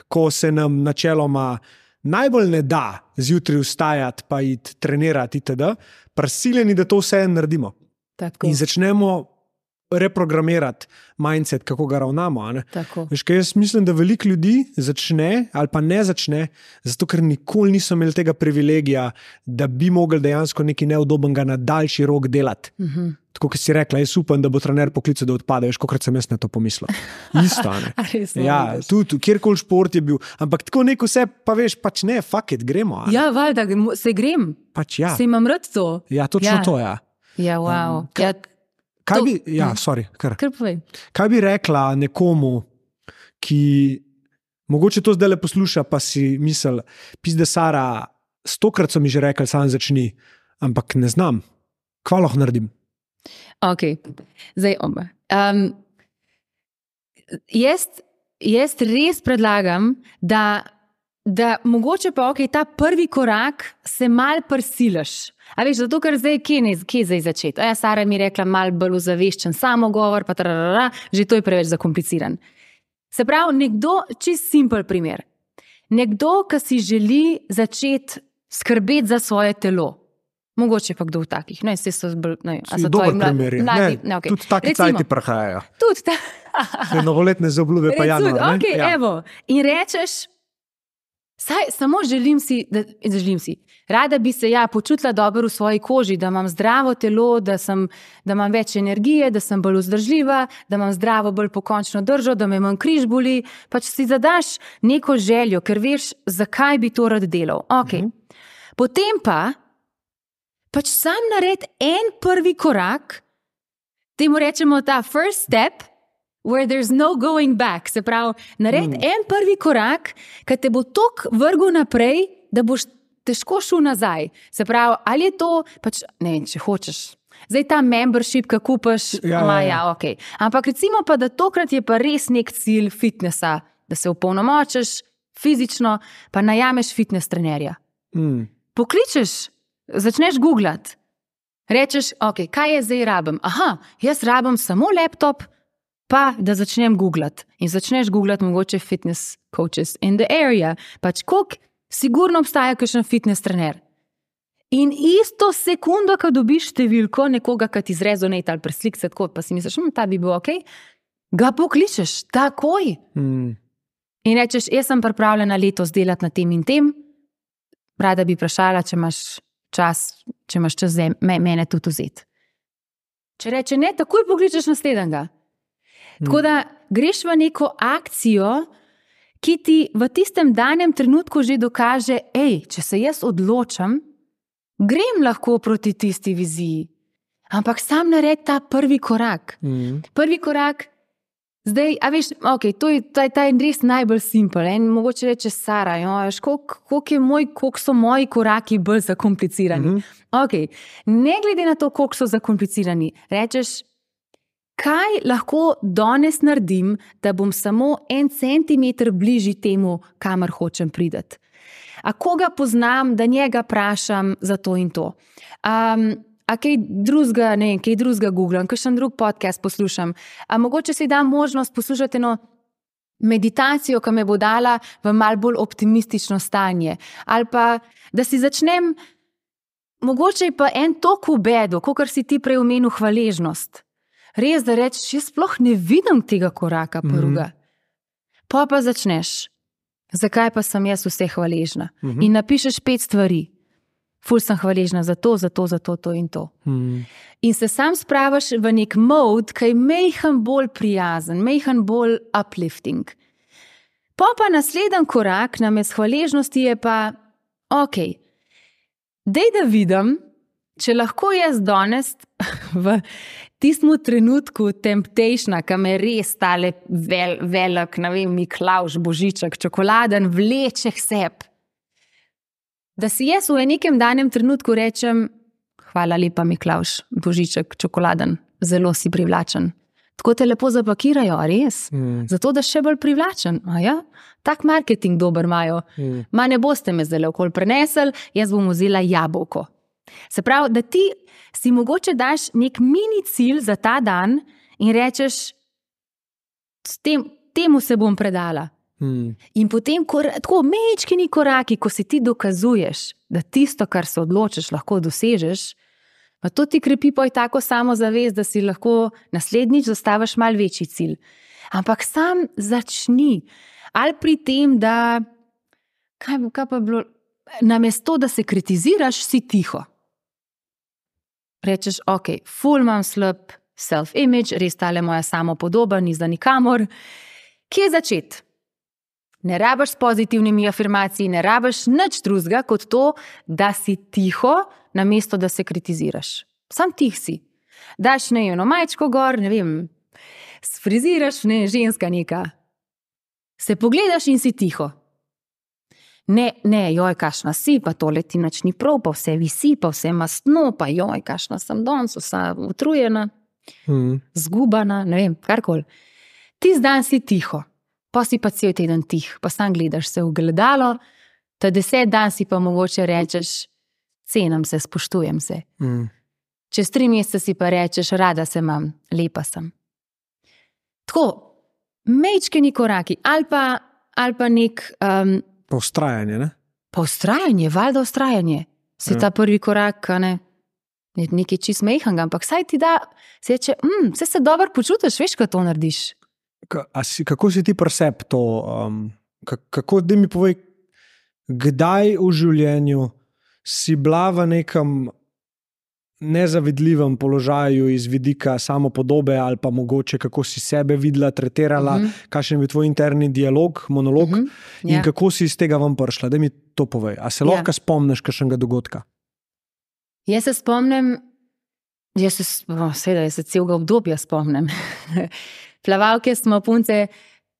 ko se nam načeloma najbolj ne da zjutraj vstajati pa iti trenirati itd., prisiljeni, da to vse naredimo. Tako. In začnemo reprogramirati mindset, kako ga ravnamo. A ne? Veš, kaj jaz mislim, da veliko ljudi začne ali pa ne začne, zato ker nikoli niso imeli tega privilegija, da bi mogli dejansko nekaj neudobnega na daljši rok delati. Uh-huh. Tako, kot si rekla, jaz upam, da bo trener poklical, da odpade. Veš, kolikrat sem jaz na to pomislil. Isto, ne? Ja, tudi, kjerkoli šport je bil. Ampak tako neko vse, pa veš, pač ne, fuck it, gremo. A? Ja, valjda, se grem. Pač ja. Se imam rad to. Ja, točno ja. to, ja. Ja, wow. Um, kaj, kaj bi, ja, sorry, kar. Kar povej. Kaj bi rekla nekomu, ki mogoče to zdaj le posluša, pa si misel, pizde Sara, stokrat so mi že rekli, sam začni, ampak ne znam. Kva lahko naredim? Ok, zdaj oba. Um, jaz, jaz res predlagam, da, da mogoče pa ok, ta prvi korak se mal prisilaš. A veš, zato ker zdaj, kje, ne, kje zdaj začeti? Ja, Sara mi je rekla mal bolj ozaveščen samogovor, pa tararara, že to je preveč zakompliciran. Se pravi, nekdo, čist simpel primer. Nekdo, ki si želi začeti skrbeti za svoje telo. Mogoče pa kdo v takih. Ne, se so bolj, ne, a so dober mlad, primer je. Mladi, ne, ne, okay. Tudi taki cajti prahajajo. Tudi ta. Novoletne zaobljube pa januar. Okay, ja. Evo. In rečeš, saj, samo želim si, da, želim si, rada bi se ja počutila dobro v svoji koži, da imam zdravo telo, da, sem, da imam več energije, da sem bolj vzdržljiva, da imam zdravo, bolj pokončno držo, da me manj križ boli. Pač si zadaš neko željo, ker veš, zakaj bi to rad delal. Okay. Mhm. Potem pa pač sam nared en prvi korak, temu rečemo ta first step, where there's no going back. Se pravi, nared mm. en prvi korak, ki te bo toliko vrgel naprej, da boš težko šel nazaj. Se pravi, ali je to, pač, ne vem, če hočeš, zdaj ta membership, ki kupaš, ja, ma, ja, ja, ok. Ampak recimo pa, da tokrat je pa res nek cilj fitnessa, da se opolnomočiš fizično, pa najameš fitness trenerja. Mm. Pokličeš, začneš googlati, rečeš, ok, kaj je zdaj rabim? Aha, jaz rabim samo laptop, pa da začnem googlati. In začneš googlati mogoče fitness coaches in the area. Pač koliko sigurno obstaja kakšen fitness trener. In isto sekundo, ko dobiš številko nekoga, ki ti zrezonate ali preslik se tako, pa si misliš, hm, ta bi bil ok, ga pokličeš takoj. Mm. In rečeš, jaz sem pripravljena letos delati na tem in tem, rada bi vprašala, če imaš čas, če imaš čas za mene tudi vzeti. Če reče ne, takoj pokličeš naslednjega. Hmm. Tako da greš v neko akcijo, ki ti v tistem danem trenutku že dokaže, ej, če se jaz odločam, grem lahko proti tisti viziji. Ampak sam nared ta prvi korak. Hmm. Prvi korak, zdaj, a veš, ok, to je ta, ta je res najbolj simpel. En mogoče reče Sara, jo, veš, koliko, koliko, je moj, koliko so moji koraki bolj zakomplicirani. Mm-hmm. Ok, ne glede na to, koliko so zakomplicirani, rečeš, kaj lahko danes naredim, da bom samo en centimeter bližji temu, kamor hočem priti. A koga poznam, da njega vprašam za to in to. Um, A kaj drugega, ne vem, kaj drugega googlam, kakšen drug podcast poslušam. A mogoče si dam možnost poslušati eno meditacijo, ki me bo dala v malo bolj optimistično stanje. Ali pa, da si začnem mogoče je pa en tok v bedu, kakor si ti prej omenil hvaležnost. Res, da rečeš, jaz sploh ne vidim tega koraka prvega. Mm-hmm. Pa pa začneš, zakaj pa sem jaz vse hvaležna. Mm-hmm. In napišeš pet stvari. Ful sem hvaležna za to, za to, za to, to in to. Hmm. In se sam spravaš v nek mod, ki je mejhan bolj prijazen, mejhan bolj uplifting. Pa pa naslednji korak namesto hvaležnosti je pa, ok, dej da vidim, če lahko jaz danes v tistem trenutku temptationa, ki me res tale vel, velik, ne vem, Miklavž, Božiček, čokoladen, vleče k sebi. Da si jaz v nekem danem trenutku rečem, hvala lepa Miklavž, Božiček, čokoladen, zelo si privlačen. Tako te lepo zapakirajo, a res? Mm. Zato, da še bolj privlačen. A ja? Tak marketing dober imajo. Mm. Ma ne boste me zdaj okoli prenesli, jaz bom vzela jabolko. Se pravi, da ti si mogoče daš nek mini cilj za ta dan in rečeš, tem, temu se bom predala. Hmm. In potem, kor, tako mečkini koraki, ko si ti dokazuješ, da tisto, kar se odločiš, lahko dosežeš, pa to ti krepi poj tako samozavest, da si lahko naslednjič zastaviš mal večji cilj. Ampak sam začni. Ali pri tem, da kaj, kaj pa bilo, namesto, da se kritiziraš, si tiho. Rečeš, ok, ful imam slab self-image, res tale moja samopodoba, ni za nikamor. Kje začeti? Ne rabiš s pozitivnimi afirmacijami, ne rabiš nič drugega kot to, da si tiho, namesto da se kritiziraš. Sam tih si. Daš ne eno majčko gor, ne vem, sfriziraš, ne, ženska neka. Se pogledaš in si tiho. Ne, ne, joj, kašna si, pa tole ti nič ni prav, pa vse visi, pa vse mastno, pa joj, kašna sem danes, vsa utrujena, hmm. zgubana, ne vem, karkoli. Ti zdan si tiho. Pa si pa cel teden tih, pa sam gledaš se v gledalo, ta deset dan si pa mogoče rečeš, cenim se, spoštujem se. Mm. Čez tri mesece si pa rečeš, rada se imam, lepa sem. Tako, mečkeni koraki, ali pa, ali pa nek... Um, pa ustrajanje, ne? Pa ustrajanje, valjda ustrajanje. Se ja. Ta prvi korak, ne, je nekaj čist mejhanga, ampak saj ti da, se reče, mm, se se dobro počutiš, veš, kaj to narediš. Si, kako si ti presep to? Um, kako, da mi povej, kdaj v življenju si bila v nekem nezavidljivem položaju iz vidika samopodobe ali pa mogoče kako si sebe videla, tretirala, uh-huh. kakšen je bil tvoj interni dialog, monolog uh-huh. in yeah. kako si iz tega ven prišla? Da mi to povej. A se yeah. lahko spomniš kakšnega dogodka? Jaz se spomnim, jaz se, oh, seveda, jaz se celega obdobja spomnim. Plavalke smo punce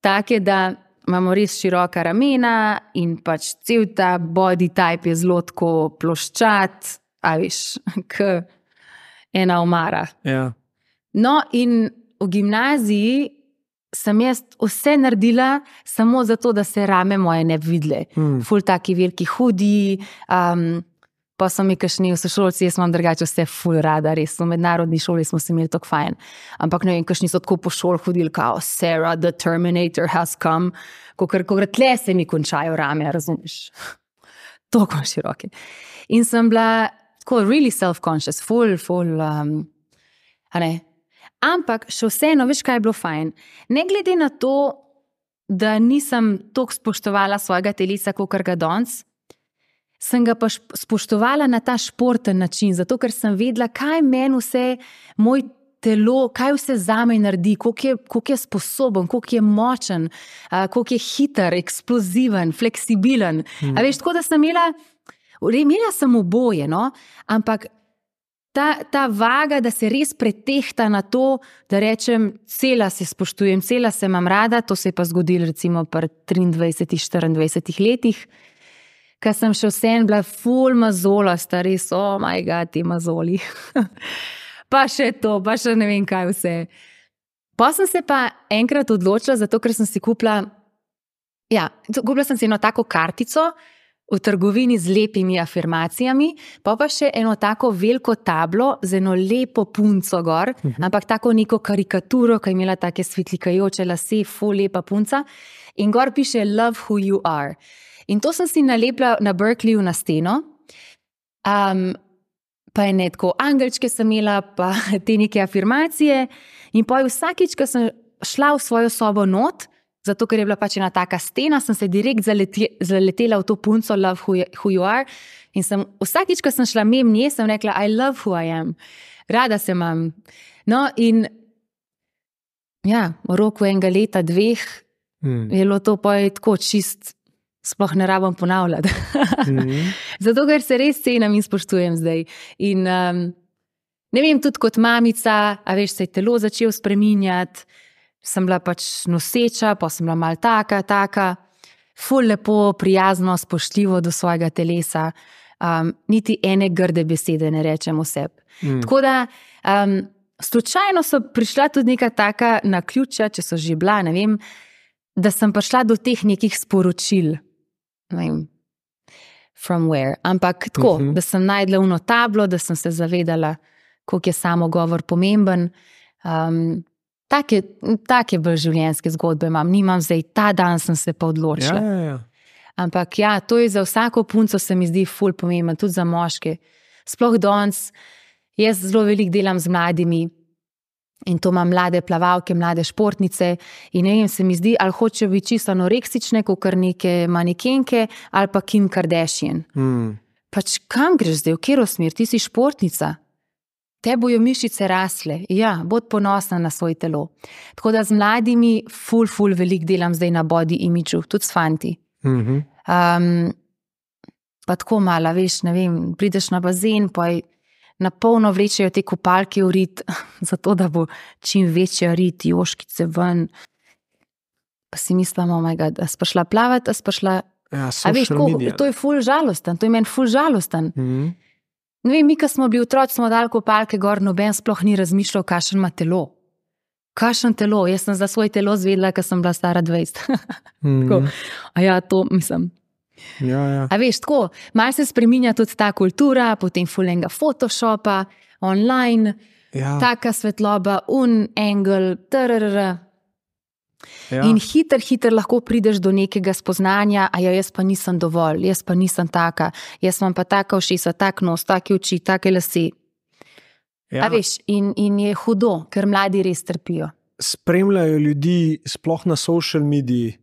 take, da imamo res široka ramena in pač cel ta body type je zelo tako ploščat, a veš, k ena omara. Ja. No in v gimnaziji sem jaz vse naredila samo zato, da se rame moje ne bi videle. Hmm. Ful taki veliki hudi, um, pa so mi kakšni v sošolci, jaz imam drugače vse ful rada, res, v mednarodni šoli smo se imeli tako fajn. Ampak ne vem, kakšni so tako po šol hodili, kao Sarah, the Terminator has come, kokor, kokor tle se mi končajo rame, razumeš? Toliko široke. In sem bila tako really self-conscious, ful, ful, um, a ne. Ampak še vseeno, veš, kaj je bilo fajn? Ne glede na to, da nisem toliko spoštovala svojega telesa, kakor ga danes, sem ga pa spoštovala na ta športen način, zato ker sem vedela, kaj meni vse moj telo, kaj vse zame naredi, koliko je, koliko je sposoben, koliko je močen, koliko je hiter, eksploziven, fleksibilen. Hmm. A veš, tako da sem imela, imela sem oboje, no? Ampak ta, ta vaga, da se res pretehta na to, da rečem, cela se spoštujem, cela se imam rada, to se je pa zgodilo recimo pri triindvajsetih, štiriindvajsetih letih, ko sem še vsem bila ful mazolasta, res, oh my god, ti mazoli. Pa še to, pa še ne vem kaj vse. Pa sem se pa enkrat odločila, zato ker sem si kupila, ja, kupila sem si eno tako kartico v trgovini z lepimi afirmacijami, pa pa še eno tako veliko tablo z eno lepo punco gor, uh-huh. ampak tako neko karikaturo, ki je imela take svetlikajoče lase, ful lepa punca, in gor piše love who you are. In to sem si nalepila na Berkeleyju na steno. Um, pa je ne tako, angelčke sem imela, pa te neke afirmacije in pa vsakič, ko sem šla v svojo sobo not, zato ker je bila pač ena taka stena, sem se direkt zaleti, zaletela v to punco Love who, who you are in sem, vsakič, ko sem šla mem nje, sem rekla I love who I am. Rada se imam. No in ja, v roku enega leta, dveh mm. je bilo to pa tako čist, sploh ne rabim ponavljati. mm. Zato, ker se res cenim in spoštujem zdaj. In um, ne vem, tudi kot mamica, a veš, se je telo začel spreminjati, sem bila pač noseča, pa sem bila malo taka, taka, ful lepo, prijazno, spoštljivo do svojega telesa. Um, niti ene grde besede ne rečem vseb. Mm. Tako da, um, slučajno so prišla tudi neka taka naključja, če so že bila, ne vem, da sem prišla do teh nekih sporočil. Ne vem, from where. Ampak tako, mm-hmm. da sem najdla uno tablo, da sem se zavedala, koliko je samogovor pomemben. Um, Take, take bolj življenjske zgodbe imam, nimam zdaj, ta dan sem se pa odločila. Ja, ja, ja. Ampak ja, to je za vsako punco se mi zdi ful pomemben, tudi za moške. Sploh danes, jaz zelo veliko delam z mladimi in to imam mlade plavalke, mlade športnice in ne vem, se mi zdi, ali hoče biti čisto anoreksične, kakor neke manekenke, ali pa Kim Kardashian. Mm. Pač kam greš zdaj, v katero smer, ti si športnica? Te bojo mišice rasle, ja, bod ponosna na svoj telo. Tako da z mladimi ful, ful veliko delam zdaj na body imidžu, tudi s fanti. Mm-hmm. Um, pa tako mala, veš, ne vem, prideš na bazen, pa na polno vlečejo te kopalke v rit, zato da bo čim večja rit, joškice ven. Pa si mislim, oh my god, a si šla plavati, a si šla... Ja, a veš, ko, to je ful žalosten, to je meni ful žalosten. Mm-hmm. Ne vem, mi, ko smo bili otroci, smo dali kopalke gor, noben sploh ni razmišljal, kakšen ima telo. Kakšen telo? Jaz sem za svoj telo zvedela, ko sem bila stara dvajset. mm. A ja, to mislim. Ja, ja. A veš, tako, malo se spreminja tudi ta kultura, potem fulenga Photoshopa, online, ja. Taka svetloba, un, angle, trrr. Ja. In hiter, hiter lahko prideš do nekega spoznanja, a ja, jaz pa nisem dovolj, jaz pa nisem taka, jaz imam pa taka ušesa, tak nos, take oči, take lase. Ja. A veš, in, in je hudo, ker mladi res trpijo. Spremljajo ljudi, sploh na social mediji,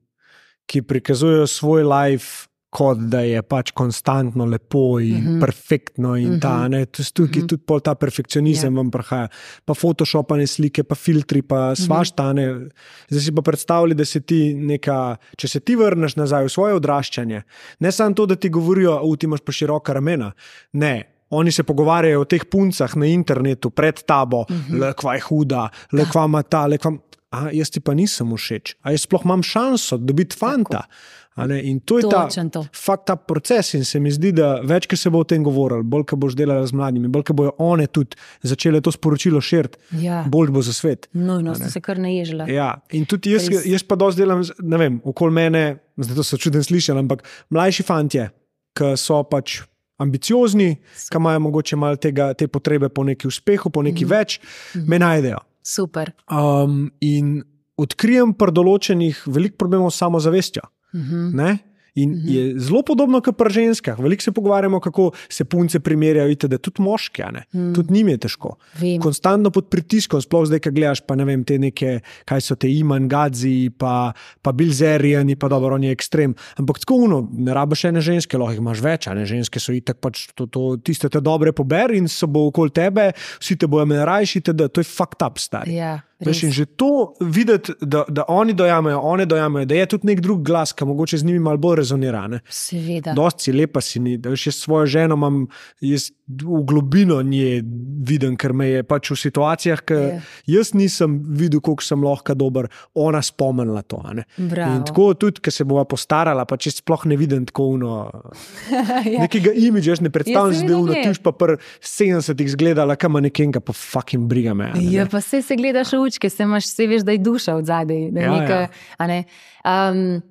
ki prikazujejo svoj life, kot da je pač konstantno lepo in mm-hmm. perfektno in mm-hmm. ta, ne, tukaj mm-hmm. tudi pol ta perfekcionizem yeah. vam prihaja, pa photoshopane slike, pa filtri, pa svašta, ne. Zdaj si pa predstavljali, da se ti neka, če se ti vrneš nazaj v svoje odraščanje, ne samo to, da ti govorijo, u, ti imaš pa široka ramena, ne, oni se pogovarjajo o teh puncah na internetu pred tabo, mm-hmm. le kva je huda, le kva ima ta, le kva, a jaz ti pa nisem všeč, a jaz sploh imam šanso dobiti fanta. In to je ta, fakt ta proces in se mi zdi, da več, ko se bo o tem govorili, bolj, ko boš delala z mladimi, bolj, ko bojo one tudi začele to sporočilo širiti, ja. Bolj bo za svet. No, no, sem se kar naježila. Ja, in tudi jaz, jaz pa dosti delam, ne vem, okoli mene, zdaj to so čuden slišali, ampak mlajši fantje, ki so pač ambiciozni, ki imajo mogoče malo tega, te potrebe po neki uspehu, po neki mm-hmm. več, mm-hmm. me najdejo. Super. Um, in odkrijem pri določenih veliko problemov s samozavestjo. Mm-hmm. Ne? In mm-hmm. je zelo podobno kot pri ženskah. Veliko se pogovarjamo, kako se punce primerjajo, vidite, da tudi moški, ne? Mm. Tudi njim je težko. Vem. Konstantno pod pritiskom, sploh zdaj, ko gledaš, pa ne vem, te neke, kaj so te Iman Gadzi, pa, pa Bilzeriani, pa dobro, on je ekstrem. Ampak tako uno, ne rabiš ene ženske, lahko jih imaš več, ne? Ženske so itak pač to, to, tiste te dobre pober in so bo okoli tebe, vsi te bojo menrajši, da to je fucked up, stari. Ja. Veš, in že to videti, da, da oni dojamejo, one dojamejo, da je tudi nek drug glas, ki mogoče z njimi malo bolj rezonira. Ne? Seveda. Dosti si lepa si ni. Da veš, jaz svojo ženo imam, jaz v globino nje vidim, ker me je pač v situacijah, ki yeah. jaz nisem videl, koliko sem lahko dober, ona spomnila to. Ne? In tako tudi, ko se bova postarala, pa če sploh ne vidim tako uno, ja. nekega imidža, jaz ne predstavljam, da je uno, tiš pa pr sedemdesetih zgledala, kam nekenka, pa fucking briga me. Ne? Ja, pa se se gledaš v učke, se imaš, se veš, da je duša od zadej. Da ja, neka, ja. A ne, um,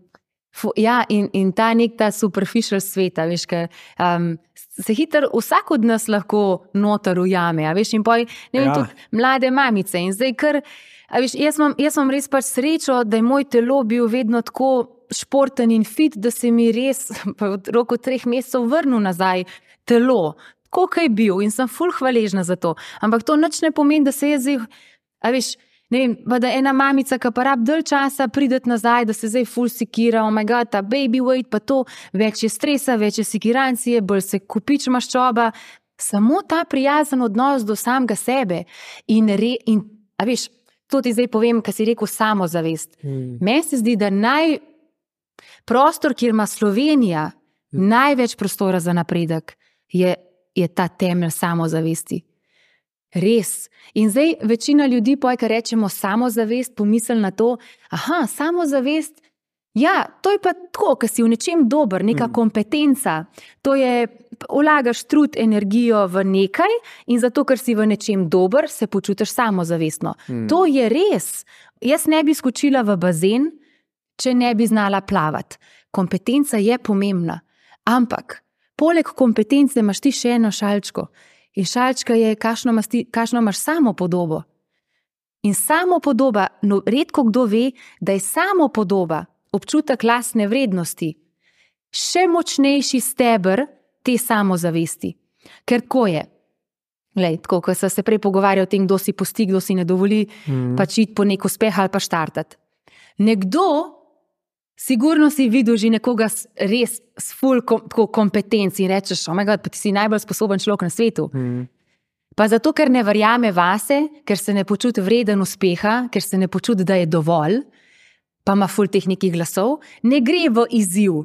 fu, ja, in, in ta nek ta superficial sveta, veš, ka, um, se hiter, vsak od nas lahko noter ujame, a veš, in poj, ne vem, ja. Tudi mlade mamice in zdaj kar, a veš, jaz imam, jaz imam res pač srečo, da je moj telo bil vedno tako športen in fit, da se mi res v roku treh mesecev vrnil nazaj telo, koliko je bil in sem ful hvaležna za to. Ampak to nič ne pomeni, da se je zdaj, a veš, ne vem, pa da ena mamica, ki pa rab dalj časa prideti nazaj, da se zdaj ful sikira, oh my god, ta baby weight, pa to, več je stresa, več je sikirancije, bolj se kupič maščoba. Samo ta prijazen odnos do samega sebe in, re, in a veš, to ti zdaj povem, kar si rekel, samozavest. Hmm. Meni se zdi, da naj prostor, kjer ima Slovenija hmm. največ prostora za napredek, je, je ta temelj samozavesti. Res. In zdaj večina ljudi, ko rečemo samozavest, pomisli na to, aha, samozavest, ja, to je pa tako, ko si v nečem dober, neka mm. kompetenca. To je, vlagaš trud, energijo v nekaj in zato, ker si v nečem dober, se počutiš samozavestno. Mm. To je res. Jaz ne bi skočila v bazen, če ne bi znala plavati. Kompetenca je pomembna. Ampak, poleg kompetence imaš ti še eno šalčko. In šalčka je, kakšno imaš, ti, kakšno imaš samopodobo. In samopodoba, no, redko kdo ve, da je samopodoba, občutek lastne vrednosti, še močnejši steber te samozavesti. Ker tako je. Glej, tako, ko se prej pogovarja o tem, kdo si pusti, kdo si ne dovoli, mm. pač iti po nek uspeh ali pa štartati. Nekdo, sigurno si videl že nekoga res s ful kom, kompetenci in rečeš, oh my god, pa ti si najbolj sposoben človek na svetu. Mm. Pa zato, ker ne verjame vase, ker se ne počuti vreden uspeha, ker se ne počuti, da je dovolj, pa ima ful teh nekih glasov, ne gre v izziv.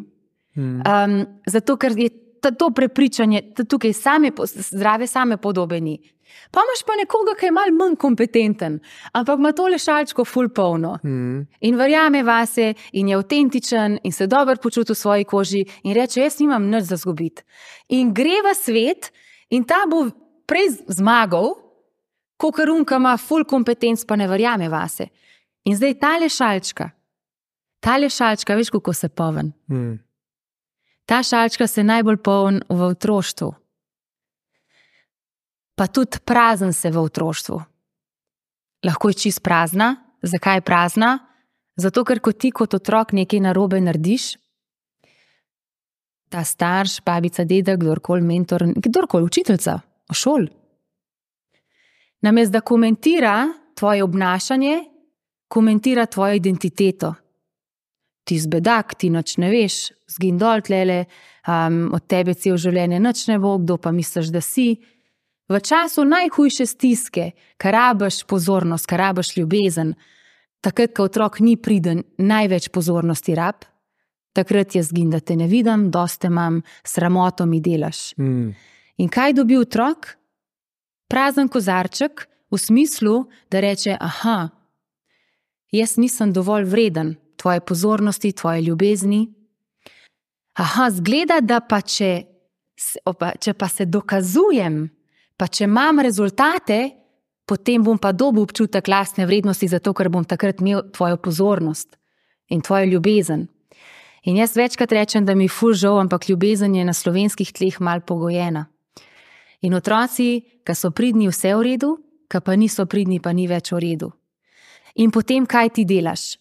Hmm. Um, zato, ker je to prepričanje, tukaj same, zdrave same podobe ni. Pa imaš pa nekoga, ki je malo manj kompetenten, ampak ima tole šalčko ful polno. Hmm. In verjame vase, in je avtentičen, in se dobro počuti v svoji koži, in reče, jaz nimam nič za zgubiti. In gre v svet, in ta bo prej zmagal, kakor unka ima ful kompetenc, pa ne verjame vase. In zdaj tale šalčka, Tale šalčka, veš, kako se poln. Hmm. Ta šalčka se najbolj poln v otroštvu. Pa tudi prazen se v otroštvu. Lahko je čist prazna. Zakaj je prazna? Zato, ker ko ti kot otrok nekaj narobe narediš, ta starš, babica, dedek, kdorkoli mentor, kdorkoli učiteljica, v šoli, namesto da komentira tvoje obnašanje, komentira tvojo identiteto. Ti zbedak, ti nič ne veš, zgin dol tlele, um, od tebe cel življenje nič ne bo, kdo pa misliš, da si. V času najhujše stiske, kar rabiš pozornost, kar rabiš ljubezen, takrat, ko otrok ni priden, največ pozornosti rab, takrat je zgin, da te ne vidim, dosti imam, sramoto mi delaš. Mm. In kaj dobi otrok? Prazen kozarček v smislu, da reče, aha, jaz nisem dovolj vreden tvoje pozornosti, tvoje ljubezni. Aha, zgleda, da pa če, opa, če pa se dokazujem, pa če imam rezultate, potem bom pa dobil občutek lastne vrednosti, zato ker bom takrat imel tvojo pozornost in tvojo ljubezen. In jaz večkrat rečem, da mi ful žal, ampak ljubezen je na slovenskih tleh mal pogojena. In otroci, ki so pridni, vse v redu, ki pa niso pridni, pa ni več v redu. In potem kaj ti delaš?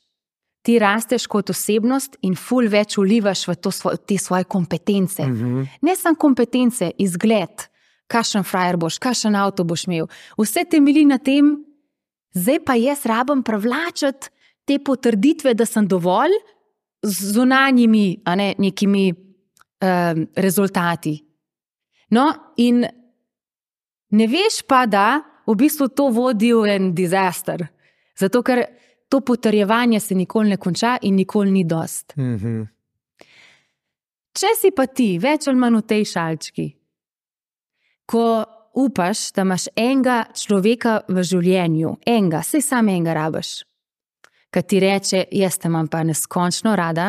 Ti rasteš kot osebnost in ful več vlivaš v to, te svoje kompetence. Mm-hmm. Ne samo kompetence, izgled, kakšen frajer boš, kakšen avto boš imel. Vse temelji na tem, zdaj pa jaz rabim privlačiti te potrditve, da sem dovolj z zunanjimi, a ne, nekimi um, rezultati. No, in ne veš pa, da v bistvu to vodi v en disaster. Zato, ker to potrjevanje se nikoli ne konča in nikoli ni dost. Mm-hmm. Če si pa ti več ali manj v tej šalčki, ko upaš, da imaš enega človeka v življenju, enega, saj sam enega rabiš, ki ti reče, jaz te imam pa neskončno rada,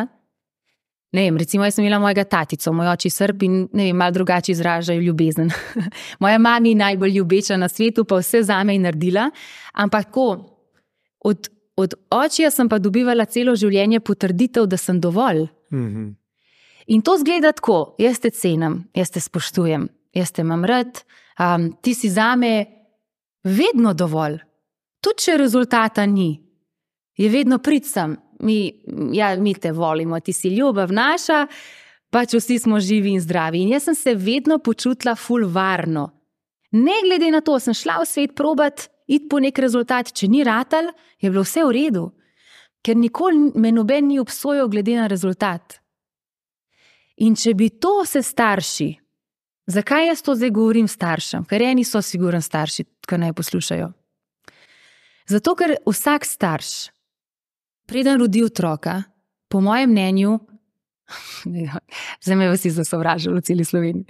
ne vem, recimo jaz sem imela mojega tatico, moj oči Srb in ne vem, malo drugače izražajo ljubezen. Moja mami najbolj ljubeča na svetu, pa vse zame je naredila, ampak tako, od Od očija sem pa dobivala celo življenje potrditev, da sem dovolj. Mm-hmm. In to zgleda tako, jaz te cenim, jaz te spoštujem, jaz te imam rad, um, ti si zame vedno dovolj. Tudi če rezultata ni, je vedno prid sem, mi, ja, mi te volimo, ti si ljubav naša, pač vsi smo živi in zdravi. In jaz sem se vedno počutila ful varno. Ne glede na to, sem šla v svet probat, iti po nek rezultat. Če ni ratal, je bilo vse v redu. Ker nikoli me noben ni obsojal glede na rezultat. In če bi to se starši, zakaj jaz to zdaj govorim staršem? Ker eni so sigurno starši, ki naj poslušajo. Zato, ker vsak starš, preden rodi otroka, po mojem mnenju, zdaj me vsi zasovražili v celi Sloveniji,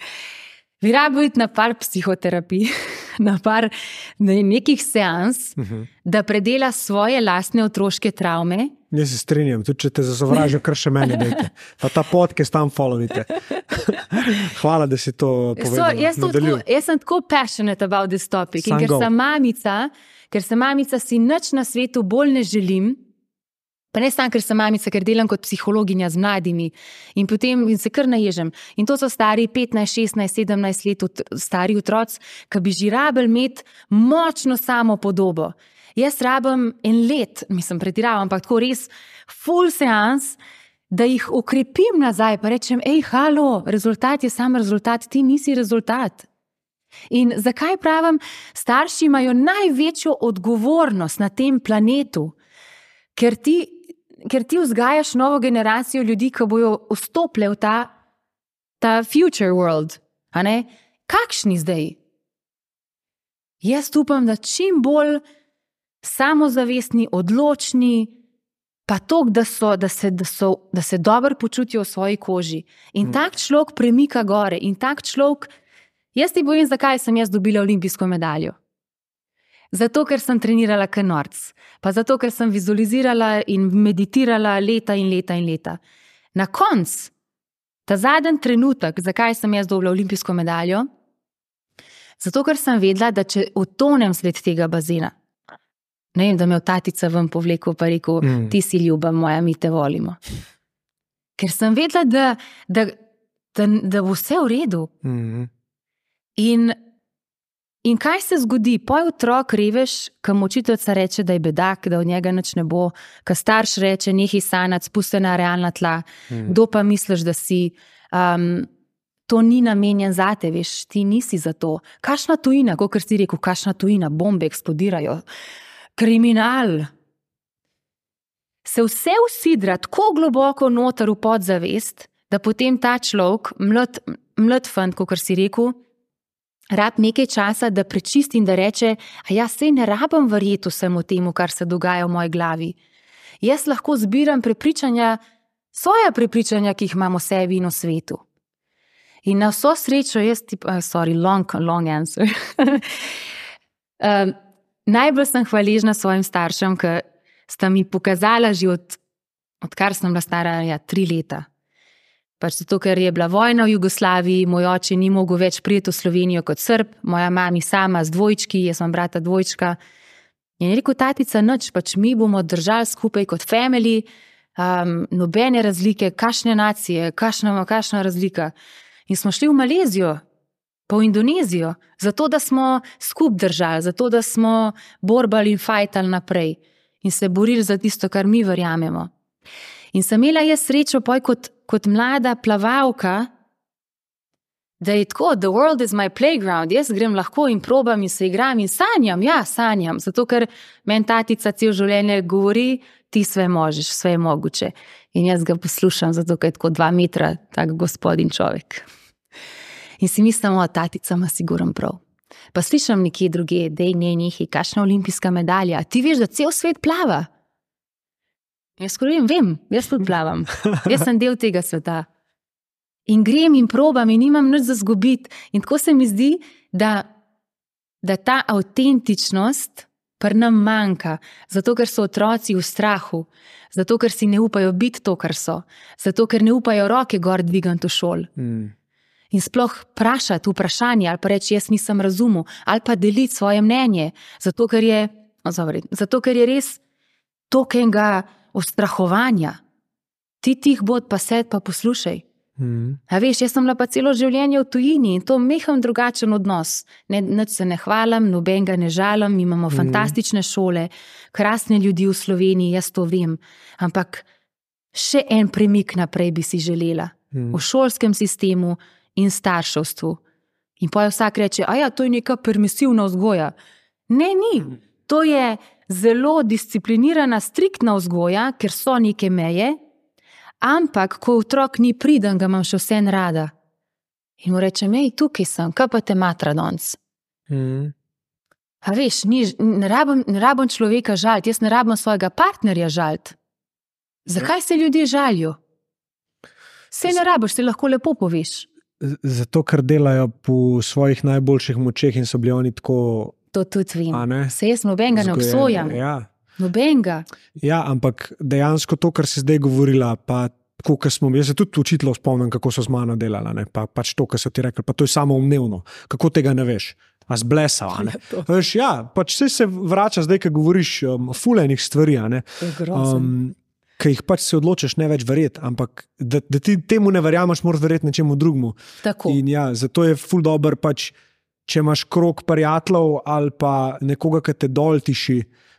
bi rabil iti na par psihoterapij, na par nekih seans, uh-huh. da predela svoje lastne otroške travme. Jaz se strinjam, tudi če te zasovražijo, kar še meni dajte. Pa ta podcast tam followite. Hvala, da si to povedala. So, jaz, tako, jaz sem tako passionate about this topic. San in ker sem mamica, ker sem mamica, si nič na svetu bolj ne želim, pa ne samo, ker sem mamica, ker delam kot psihologinja z mladimi in potem in se kar naježem. In to so stari petnajst, šestnajst, sedemnajst let stari otroci, ki bi že rabili imeti močno samo podobo. Jaz rabim en let, mislim, pretiravam, ampak tako res full seans, da jih ukrepim nazaj, pa rečem, ej, halo, rezultat je sam rezultat, ti nisi rezultat. In zakaj pravim, starši imajo največjo odgovornost na tem planetu, ker ti ker ti vzgajaš novo generacijo ljudi, ki bojo vstopile v ta, ta future world. A ne? Kakšni zdaj? Jaz upam, da čim bolj samozavestni, odločni, pa tok, da, so, da, se, da, so, da se dobro počutijo v svoji koži. In hmm. tak človek premika gore. In tak človek, jaz ti povem, zakaj sem jaz dobila olimpijsko medaljo. Zato, ker sem trenirala kot norc, pa zato, ker sem vizualizirala in meditirala leta in leta in leta. Na koncu, ta zadnji trenutek, zakaj sem jaz dobila olimpijsko medaljo? Zato, ker sem vedela, da če utonem sled tega bazena, ne vem, da me v tatica ven povlekel, pa rekel, mm. ti si ljuba moja, mi te volimo. Ker sem vedela, da, da, da, da bo vse v redu. Mm. In In kaj se zgodi? Poj otrok reveš, ko mu učiteljica reče, da je bedak, da od njega nič ne bo, ko starš reče, nehaj sanjati, spusti na realna tla, mm. kdo pa misliš, da si, um, to ni namenjen zate, veš, ti nisi za to. Kakšna tujina, kot si rekel, kakšna tujina, bombe eksplodirajo, kriminal. Se vse usidra tako globoko noter v podzavest, da potem ta človek, mlad, mlad fant, kot si rekel, rab nekaj časa, da prečisti in da reče, a ja, sej ne rabim verjeti vsemu temu, kar se dogaja v moji glavi. Jaz lahko zbiram prepričanja, svoja prepričanja, ki jih imam v sebi in v svetu. In na vso srečo, jaz ti, uh, sorry, long, long answer. um, najbolj sem hvaležna svojim staršem, ki sta mi pokazala že od, odkar sem bila stara, ja, tri leta. Pač zato, ker je bila vojna v Jugoslaviji, moj oče ni mogel več prijeti v Slovenijo kot Srb, moja mami sama z dvojčki, jaz sem brata dvojčka. In je rekel, tatica, nič, pač mi bomo držali skupaj kot family, um, nobene razlike, kakšne nacije, kakšna, kakšna razlika. In smo šli v Malezijo, pa v Indonezijo, zato da smo skup držali, zato da smo borbali in fajtali naprej in se borili za tisto, kar mi verjamemo. In sem imela jaz srečo poj kot, kot mlada plavalka, da je tako, the world is my playground, jaz grem lahko in probam in se igram in sanjam, ja, sanjam, zato ker meni tatica cel življenje govori, ti sve možeš, sve je mogoče. In jaz ga poslušam, zato ker je tako dva metra, tak gospodin človek. In si mislim, o, tatica ima sigurno prav. Pa slišam nekje druge, dej, ne, nekaj, kakšna olimpijska medalja, ti veš, da cel svet plava. Jaz skorim, vem, jaz tudi plavam. Jaz sem del tega sveta. In grem in probam in nimam nič za zgubiti. In tako se mi zdi, da, da ta avtentičnost pri nam manjka. Zato, ker so otroci v strahu. Zato, ker si ne upajo biti to, kar so. Zato, ker ne upajo roke gor dvigati v šol. Mm. In sploh vprašati vprašanje, ali pa reči, jaz nisem razumel, ali pa deliti svoje mnenje. Zato, ker je, oh, sorry, zato, ker je res tokenga ustrahovanja. Ti tih bod pa sed pa poslušaj. Mm. A veš, jaz sem bila pa celo življenje v tujini in to meham drugačen odnos. Ne, nič se ne hvalim, nobenega ne žalim, imamo mm. fantastične šole, krasne ljudi v Sloveniji, jaz to vem. Ampak še en premik naprej bi si želela. mm. v šolskem sistemu in starševstvu. In potem vsak reče, a ja, to je neka permisivna vzgoja. Ne, ni. To je zelo disciplinirana, striktna vzgoja, ker so neke meje, ampak ko otrok ni priden, ga imam še vse rada. In mu rečem, ej, tukaj sem, kaj pa te matra danes? Mm. A veš, ni, ne, rabim, ne rabim človeka žaliti, jaz ne rabim svojega partnerja žaliti. Zakaj se ljudje žalijo? Saj ne rabiš, se lahko lepo poveš. Zato, ker delajo po svojih najboljših močeh in so bili oni tako... To tudi vem. Se jaz nobenega ne obsojam. Ja. Nobenega. Ja, ampak dejansko to, kar si zdaj govorila, pa tako, kar smo, jaz se tudi učitelj spomnim, kako so z mano delala, ne? Pa pač to, kar so ti rekli, pa to je samoumevno. Kako tega ne veš? A zblesal, a ne? Veš, ja, pač vse se vrača zdaj, ko govoriš um, fulejnih stvari, a ne? Um, ki jih pač se odločiš ne več verjeti, ampak da, da ti temu ne verjameš, moraš verjeti nečemu drugmu. Tako. In ja, zato je ful dober pač, če imaš krog prijateljev ali pa nekoga, ki te dol tiši,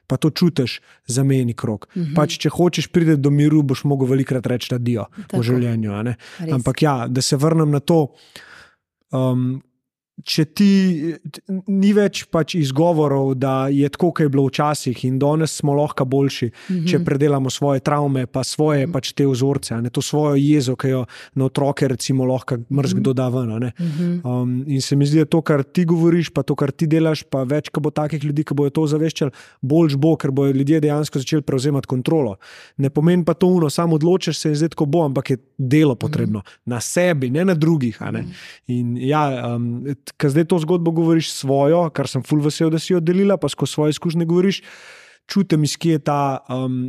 pa to čutiš, zameni krog. Mm-hmm. Pač, če hočeš priti do miru, boš mogel velikrat reči adijo v življenju, a ne? Ampak ja, da se vrnem na to, um, če ti ni več pač izgovorov, da je tako, kaj je bilo včasih in danes smo lahko boljši, mm-hmm. če predelamo svoje travme, pa svoje mm-hmm. pač te vzorce, a ne, to svojo jezo, ki jo na otroke recimo lahko mrzkdo da ven, a ne. Mm-hmm. Um, in se mi zdi, da to, kar ti govoriš, pa to, kar ti delaš, pa več, ko bo takih ljudi, ki bojo to zaveščali, boljš bo, ker bojo ljudje dejansko začeli prevzemati kontrolo. Ne pomeni pa to uno, samo odločiš se in zdaj tako bo, ampak je delo potrebno. Mm-hmm. Na sebi, ne na drugih, a ne. Mm-hmm. In ja, um, ker zdaj to zgodbo govoriš svojo, kar sem ful vesel, da si jo delila, pa skozi svoje izkušnje govoriš, čutim, iz kje je ta um,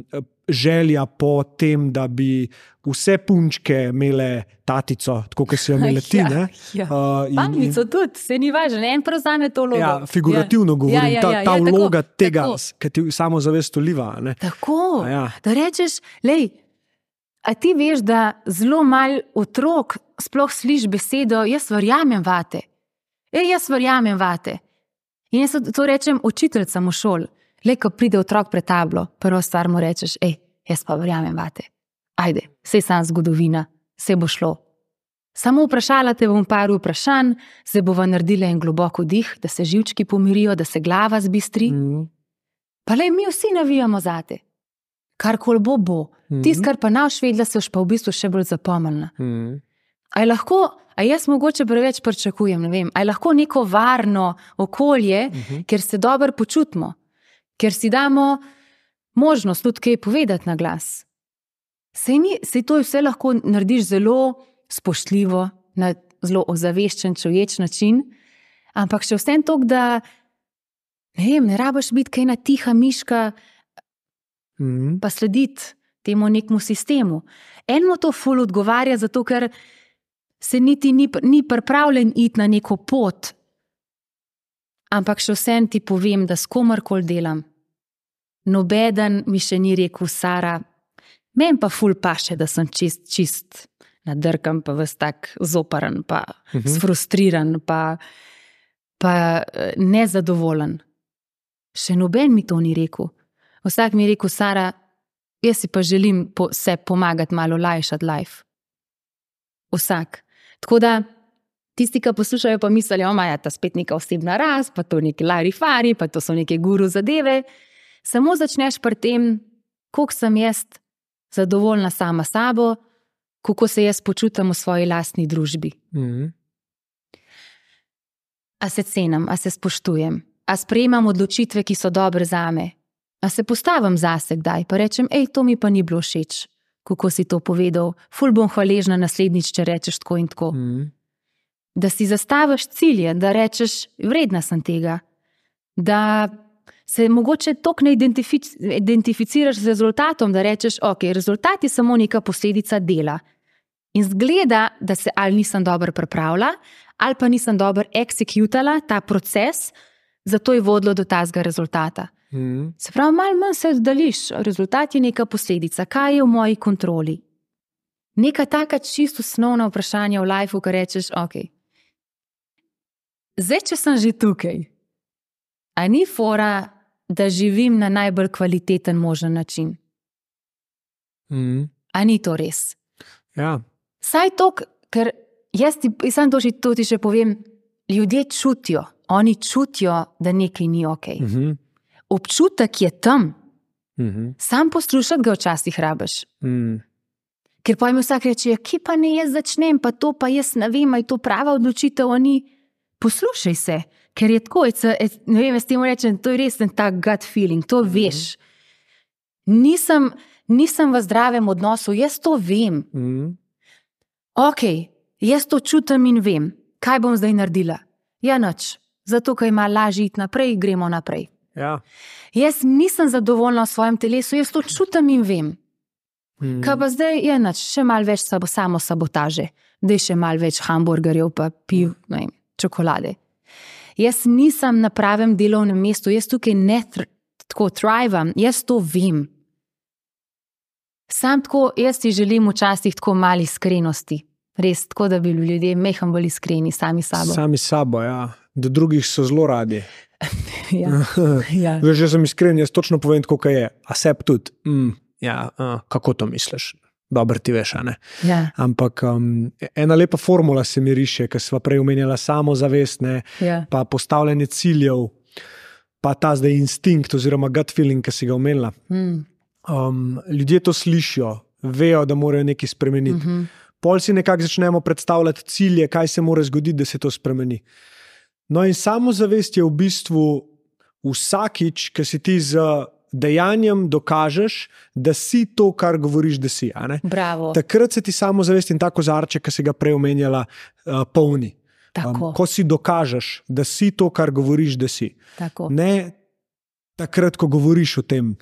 želja po tem, da bi vse punčke imele tatico, tako kot si jo imele ti, ne? Ja, ja. Uh, Pamico tudi, se ni važno, en prevzame to vlogo. Ja, figurativno ja. govorim, ja, ja, ja, ta, ta ja, vloga tako, tega, ki ti samozavest vliva, ne? Tako, ja. Da rečeš, lej, a ti veš, da zelo malo otrok sploh sliš besedo, jaz verjamem vate. Ej, jaz verjamem vate. In jaz to rečem učiteljcam v šoli. Lej, ko pride otrok pred tablo, prvo stvar mu rečeš, ej, jaz pa verjamem vate. Ajde, sej sam zgodovina, sej bo šlo. Samo vprašala te bom par vprašanj, se bova naredila en globoko dih, da se živčki pomirijo, da se glava zbistri. Mm. Pa lej, mi vsi navijamo zate. Karkoli bo, bo. Mm. Tis, kar pa naš vedla, se už pa v bistvu še bolj zapomnila. Mm. A je lahko... A jaz mogoče preveč pričakujem, ne vem, a je lahko neko varno okolje, uh-huh. ker se dobro počutimo, ker si damo možnost tudi kaj povedati na glas. Sej, ni, sej to vse lahko narediš zelo spoštljivo, na zelo ozaveščen, čuječ način, ampak še vsem tok, da ne vem, ne rabiš biti kaj na tiha miška, uh-huh. pa slediti temu nekmu sistemu. Enmo to ful odgovarja, zato ker se niti ni, ni pripravljen iti na neko pot, ampak še vsem ti povem, da s komarkoli delam. Nobeden mi še ni rekel, Sara, meni pa ful paše, da sem čist, čist nadrkam, pa ves tak zoparen, pa uh-huh. sfrustriran, pa, pa nezadovoljen. Še noben mi to ni rekel. Vsak mi je rekel, Sara, jaz si pa želim po, se pomagati malo lajšati life. Vsak. Tako da, tisti, ki poslušajo, pa mislijo, da je ta spet neka osebna rast, pa to neki larifari, pa to so neke guru zadeve. Samo začneš pri tem, koliko sem jaz zadovoljna sama sabo, kako se jaz počutam v svoji lastni družbi. Mm-hmm. A se cenim, a se spoštujem, a sprejemam odločitve, ki so dobre zame, a se postavim zase kdaj, pa rečem, ej, to mi pa ni bilo všeč. Kako si to povedal, ful bom hvaležna naslednjič, če rečeš tako in tako. Mm. Da si zastaviš cilje, da rečeš, vredna sem tega, da se mogoče toliko ne identific- identificiraš z rezultatom, da rečeš, ok, rezultat je samo neka posledica dela. In zgleda, da se ali nisem dobro pripravila, ali pa nisem dobro executala ta proces, zato je vodilo do tazga rezultata. Mm. Se pravi, malo manj se oddališ, rezultat je neka posledica, kaj je v moji kontroli. Neka taka čisto osnovna vprašanja v lifeu, ko rečeš, ok, zdaj, če sem že tukaj, a ni fora, da živim na najbolj kvaliteten možen način? Mm. A ni to res? Ja, Saj to, ker jaz ti, sam to, to ti še povem, ljudje čutijo, oni čutijo, da nekaj ni ok. Uh-huh. Občutek je tam, Uh-huh. sam poslušati ga včasih rabiš. Mm. Ker pa jim vsak reče, ki pa ne jaz začnem, pa to pa jaz ne vem, je to prava odločitev, oni poslušaj se, ker je tako, it's a, it's, ne vem, jaz temu rečem, to je res ten tak gut feeling, to veš. Nisem, nisem v zdravem odnosu, jaz to vem. Mm. Ok, jaz to čutim in vem, kaj bom zdaj naredila. Ja, nič, zato, ker ima lažje iti naprej, gremo naprej. Ja. Jaz nisem zadovoljna v svojem telesu, jaz to čutim in vem. Mm. Kaj pa zdaj je nič, še malo več sabo, samo sabotaže, da je še malo več hamburgerjev pa piv, ne vem, čokolade. Jaz nisem na pravem delovnem mestu, jaz tukaj ne tr tako thrivam, jaz to vem. Sam tako, jaz ti želim včasih tako malo iskrenosti. Res, tako da bi bili ljudje mehko bolj iskreni sami sabo. Sami sabo, ja. Do drugih so zelo radi. ja. ja. Veš, jaz sem iskren, jaz točno povem, kako je. A sebi tudi. Mm, ja, uh, kako to misliš? Dobro ti veš, a ne? Ja. Ampak um, ena lepa formula se mi riše, ker sva prej omenjala samozavest, ne, ja. pa postavljanje ciljev, pa ta zdaj instinkt oziroma gut feeling, ki si ga omenila. Mm. Um, ljudje to slišijo, vejo, da morajo nekaj spremeniti. Mm-hmm. Pol si nekako začnemo predstavljati cilje, kaj se mora zgoditi, da se to spremeni. No in samozavest je v bistvu vsakič, ki si ti z dejanjem dokažeš, da si to, kar govoriš, da si. A ne? Bravo. Takrat se ti samozavest in ta kozarček, ki si ga prej omenjala, uh, polni. Um, ko si dokažeš, da si to, kar govoriš, da si. Tako. Ne takrat, ko govoriš o tem,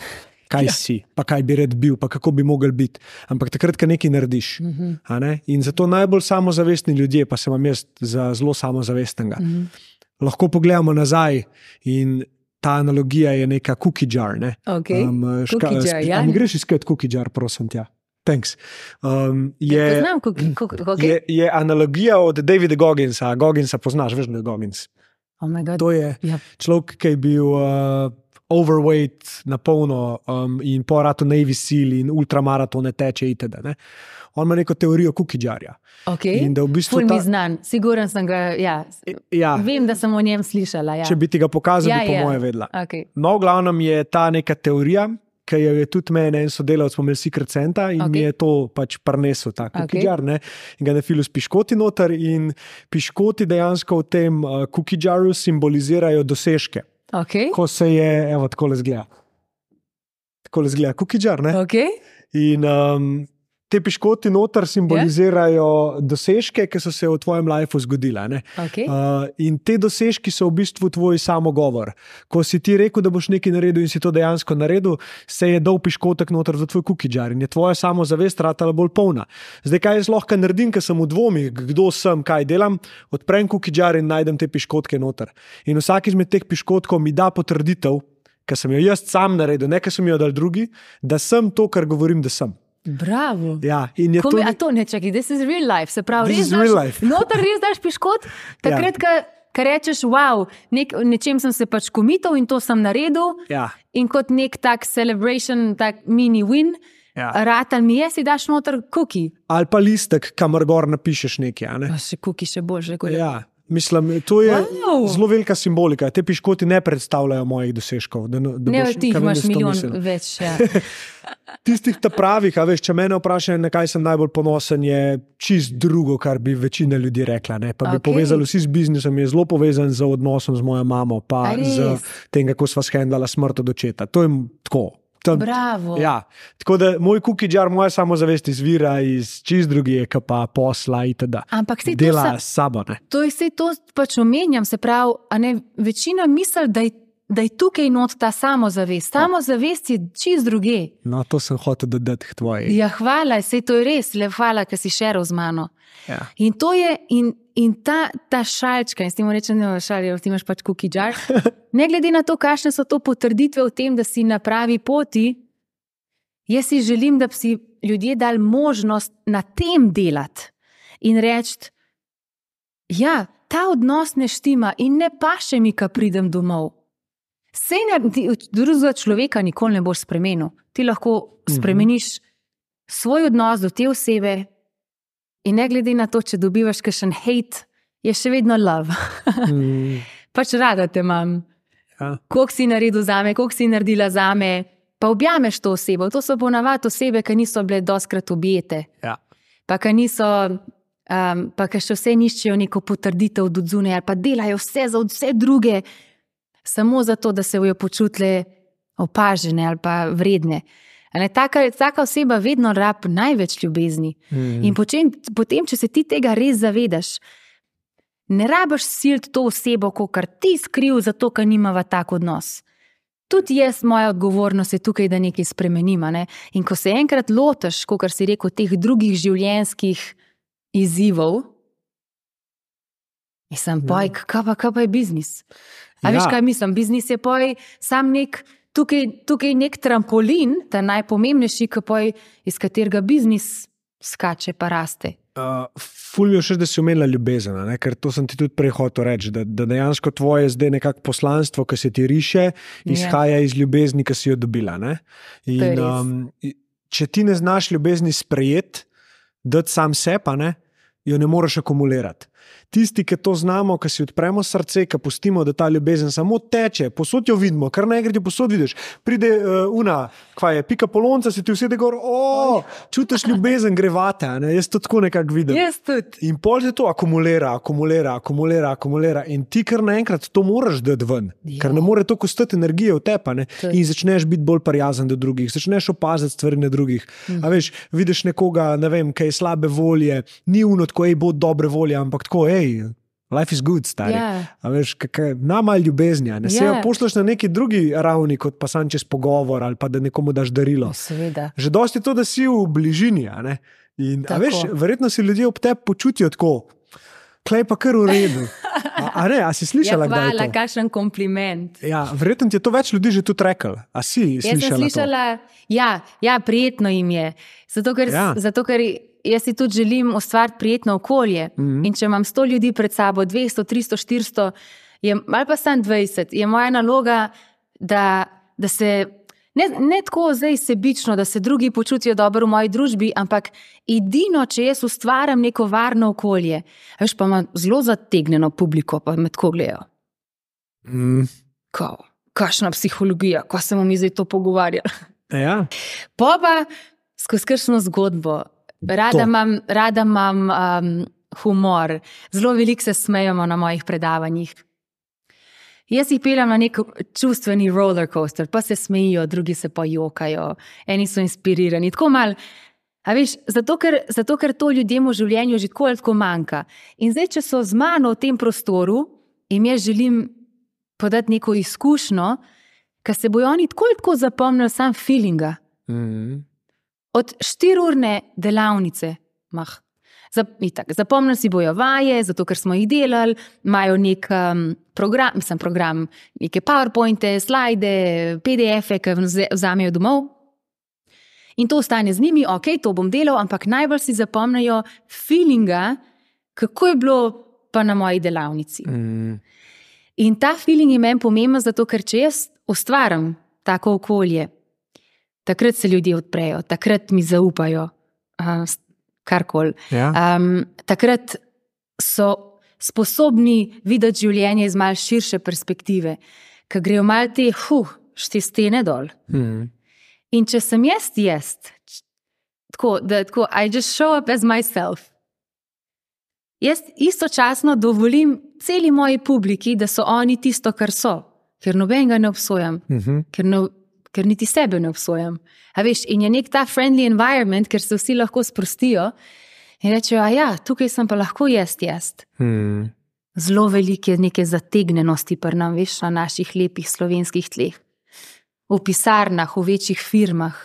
kaj ja. si, pa kaj bi rad bil, pa kako bi mogel biti. Ampak takrat, ko nekaj narediš. Mm-hmm. A ne? In zato najbolj samozavestni ljudje, pa se vam jaz za zelo samozavestnega, mm-hmm. lahko pogledamo nazaj in ta analogija je neka cookie jar. Ne? Okay. Um, ška, cookie jar, ja. Mi greš iskat cookie jar, prosim tja. Thanks. Um, je, Poznam cookie, cookie, okay. je, je analogija od Davida Gogginsa. Gogginsa poznaš, veš, da je Goggins. Oh my God. To je yep. človek, ki je bil uh, overweight na polno um, in po ratu Navy Seal in ultramaratone teče itd. Ne? On ima neko teorijo cookie jarja. Okay. In da v bistvu Ful mi ta... znan, siguren sem ga, ja. ja. Vem, da sem o njem slišala. Ja. Če bi ti ga pokazal, ja, bi po ja. moje vedela. Okay. No, v glavnem je ta neka teorija, ki jo je tudi meni en sodelavec pomel Secret Centa in okay. mi je to pač prinesel, ta cookie jar, ne? In ga nafilu s piškoti noter in piškoti dejansko v tem uh, cookie jarju simbolizirajo dosežke. Okay. Ko se je, evo, takole zgleda. Takole zgleda cookie jar, ne? Okay. In um, te piškoti noter simbolizirajo yeah. dosežke, ki so se v tvojem lifeu zgodila. Okay. Uh, in te dosežki so v bistvu tvoj samogovor. Ko si ti rekel, da boš nekaj naredil in si to dejansko naredil, se je dal piškotek noter za tvoj cookie jar in je tvoja samozavest ratala bolj polna. Zdaj, kaj jaz lahko naredim, ker sem v dvomih, kdo sem, kaj delam, odprem cookie jar in najdem te piškotke noter. In vsak izmed teh piškotkov mi da potrditev, ker sem jo jaz sam naredil, ne ker sem jo dal drugi, da sem to, kar govorim, da sem. Bravo. Ja, in je Ko to... Mi, a to ne čaki, this is real life, se pravi, this res is daš, real life. Noter res daš piškot, takrat, ja. Ko rečeš, wow, nek, nečem sem se pač komital in to sem naredil ja. in kot nek tak celebration, tak mini win, ja. Ratal mi je, si daš noter cookie. Ali pa listek, kamor gor napišeš nekaj. Ne? Pa še cookie še boljše. Ja. Mislim, to je wow. zelo velika simbolika. Te piškoti ne predstavljajo mojih dosežkov. Da, da ne, boš, ti imaš milijon mislil. Več. Ja. Tistih ta pravih, a veš, če mene vprašajo, na kaj sem najbolj ponosen, je čist drugo, kar bi večina ljudi rekla. Ne? Pa bi okay. povezali vsi z biznisom, je zelo povezan z odnosom z mojo mamo, pa z tem, kako sva shendala smrt od očeta. To je tako. Tam, Bravo. Ja. Tako da moj cookie jar, moja samozavest izvira iz čist drugih, pa posla itd. Ampak si dela s sabo. Ne? To je vse to pač omenjam, se pravi, a ne, večina misli, da je, da je tukaj not ta samozavest. Samozavest je čist druge. No, to sem hotel dodati k tvoji. Ja, hvala, sej to je res, le hvala, ker si šeral z mano. Ja. In to je, in, in ta, ta šalčka, in s tem rečem, da ti imaš pač cookie jar, ne glede na to, kakšne so to potrditve v tem, da si na pravi poti, jaz si želim, da bi si ljudje dali možnost na tem delati in reči, ja, ta odnos ne štima in ne paše mi, ko pridem domov. Sej ne, ti, drugega človeka nikoli ne boš spremenil. Ti lahko spremeniš svoj odnos do te osebe, In ne glede na to, če dobivaš kakšen hate, je še vedno love. Mm. Pač rada te imam. Ja. Koliko si naredil zame, koliko si naredila zame, pa objameš to osebo. To so ponavadi osebe, ki niso bile dostkrat objete. Ja. Pa ki niso, um, pa ki še vse niščejo neko potrditev od zunaj, ali pa delajo vse za vse druge, samo zato, da se bojo počutile opažene ali pa vredne. Ne, taka, taka oseba vedno rab največ ljubezni. Mm. In potem, potem, če se ti tega res zavedaš, ne rabiš siliti to osebo, kakor ti skriv, zato, ker nimava tak odnos. Tudi jaz, moja odgovornost je tukaj, da nekaj spremenim. Ne? In ko se enkrat lotiš, kakor si rekel, teh drugih življenjskih izzivov, mislim, poj, kaj pa, kaj pa je biznis? A ja. Veš, kaj mislim? Biznis je poj sam nek, tukaj, tukaj nek trampolin, ta najpomembnejši, poj, iz katerega biznis skače pa raste. Uh, ful mi je všeč, da si omenila ljubezen, ne? Ker to sem ti tudi prej hotel reči, da, da dejansko tvoje zdaj nekako poslanstvo, ki se ti riše, izhaja yeah. iz ljubezni, ki si jo dobila. Ne? In, um, če ti ne znaš ljubezni sprejeti, dati sam sepa, ne? Jo ne moreš akumulirati. Tisti, ki to znamo, ki si odpremo srce, ki pustimo, da ta ljubezen samo teče, posod jo vidimo, kar naenkrat jo posod vidiš. Pride uh, una, kva je, pika polonca, si ti vsede gor, o, čutiš ljubezen, gre vate, ne? Jaz to tako nekako vidim. Jaz tudi. In pol se to akumulira, akumulira, akumulira, akumulira in ti kar naenkrat to moraš dati ven, ja. Ker ne more to kostati energije v tepa, ne? In začneš biti bolj prijazen do drugih, začneš opaziti stvari na drugih. Mhm. A veš, vidiš nekoga, ne vem, kaj je slabe volje, ni uno tako, ej, bo dobre volje, ampak tako, ej, life is good, stari. Yeah. A veš, namalj ljubeznja. Ne se jo yeah. pošleš na neki drugi ravni, kot pa sam čez pogovor ali pa da nekomu daš darilo. Seveda. Že dosti je to, da si v bližini. A ne? In, a veš, verjetno si ljudje ob tebi počutijo tako, klej pa kar v redu. A, a ne, a si slišala, ja, hvala, kdaj je to? Kakšen kompliment. Ja, verjetno ti je to več ljudi že tudi rekel. A si slišala to? Jaz sem slišala, ja, ja, prijetno jim je. Zato, ker, ja. zato, ker jaz si tudi želim ustvariti prijetno okolje. Mm-hmm. In če imam sto ljudi pred sabo, dvesto, tristo, štiristo, je, ali pa samo dvajset, je moja naloga, da, da se, ne, ne tako zdaj sebično, da se drugi počutijo dobro v moji družbi, ampak edino, če jaz ustvaram neko varno okolje, veš, pa imam zelo zategnjeno publiko, pa me tako gledajo. Mm. Ko, kakšna psihologija, ko se bomo mi zdaj to pogovarjali. Ja. Pa pa skozi kakšno zgodbo. Rada imam, rada imam um, humor. Zelo veliko se smejamo na mojih predavanjih. Jaz jih peljem na nek čustveni roller coaster, pa se smejijo, drugi se pa jokajo, eni so inspirirani. Tako mal, a veš, zato ker, zato ker to ljudem v življenju že tako ali tako manjka. In zdaj, če so z mano v tem prostoru, in jaz želim podati neko izkušnjo, ker se bojo oni tako ali tako zapomnili sam feelinga. Mm-hmm. Od štiriurne delavnice, mah, zapomnili si bojo vaje, zato ker smo jih delali, imajo nek um, program, mislim program, neke powerpointe, slajde, P D F-e, ki vzamejo domov. In to ostane z njimi, ok, to bom delal, ampak najbolj si zapomnijo feelinga, kako je bilo pa na moji delavnici. Mm. In ta feeling je meni pomemben, zato ker če jaz ustvaram tako okolje, takrat se ljudje odprejo, takrat mi zaupajo, uh, karkoli. Ja. Um, takrat so sposobni videti življenje iz malo širše perspektive, ker grejo malo te, huh, šte stene dol. Hmm. In če sem jaz jaz, tako, da tako, I just show up as myself. Jaz istočasno dovolim celi moji publiki, da so oni tisto, kar so, ker nobenega ne obsojam, uh-huh. ker ne ker niti sebe ne obsojam. A veš, in je nek ta friendly environment, ker se vsi lahko sprostijo in rečejo, a ja, tukaj sem pa lahko jaz jaz. Hmm. Zelo velike neke zategnenosti pri nam, veš, na naših lepih slovenskih tleh. V pisarnah, v večjih firmah.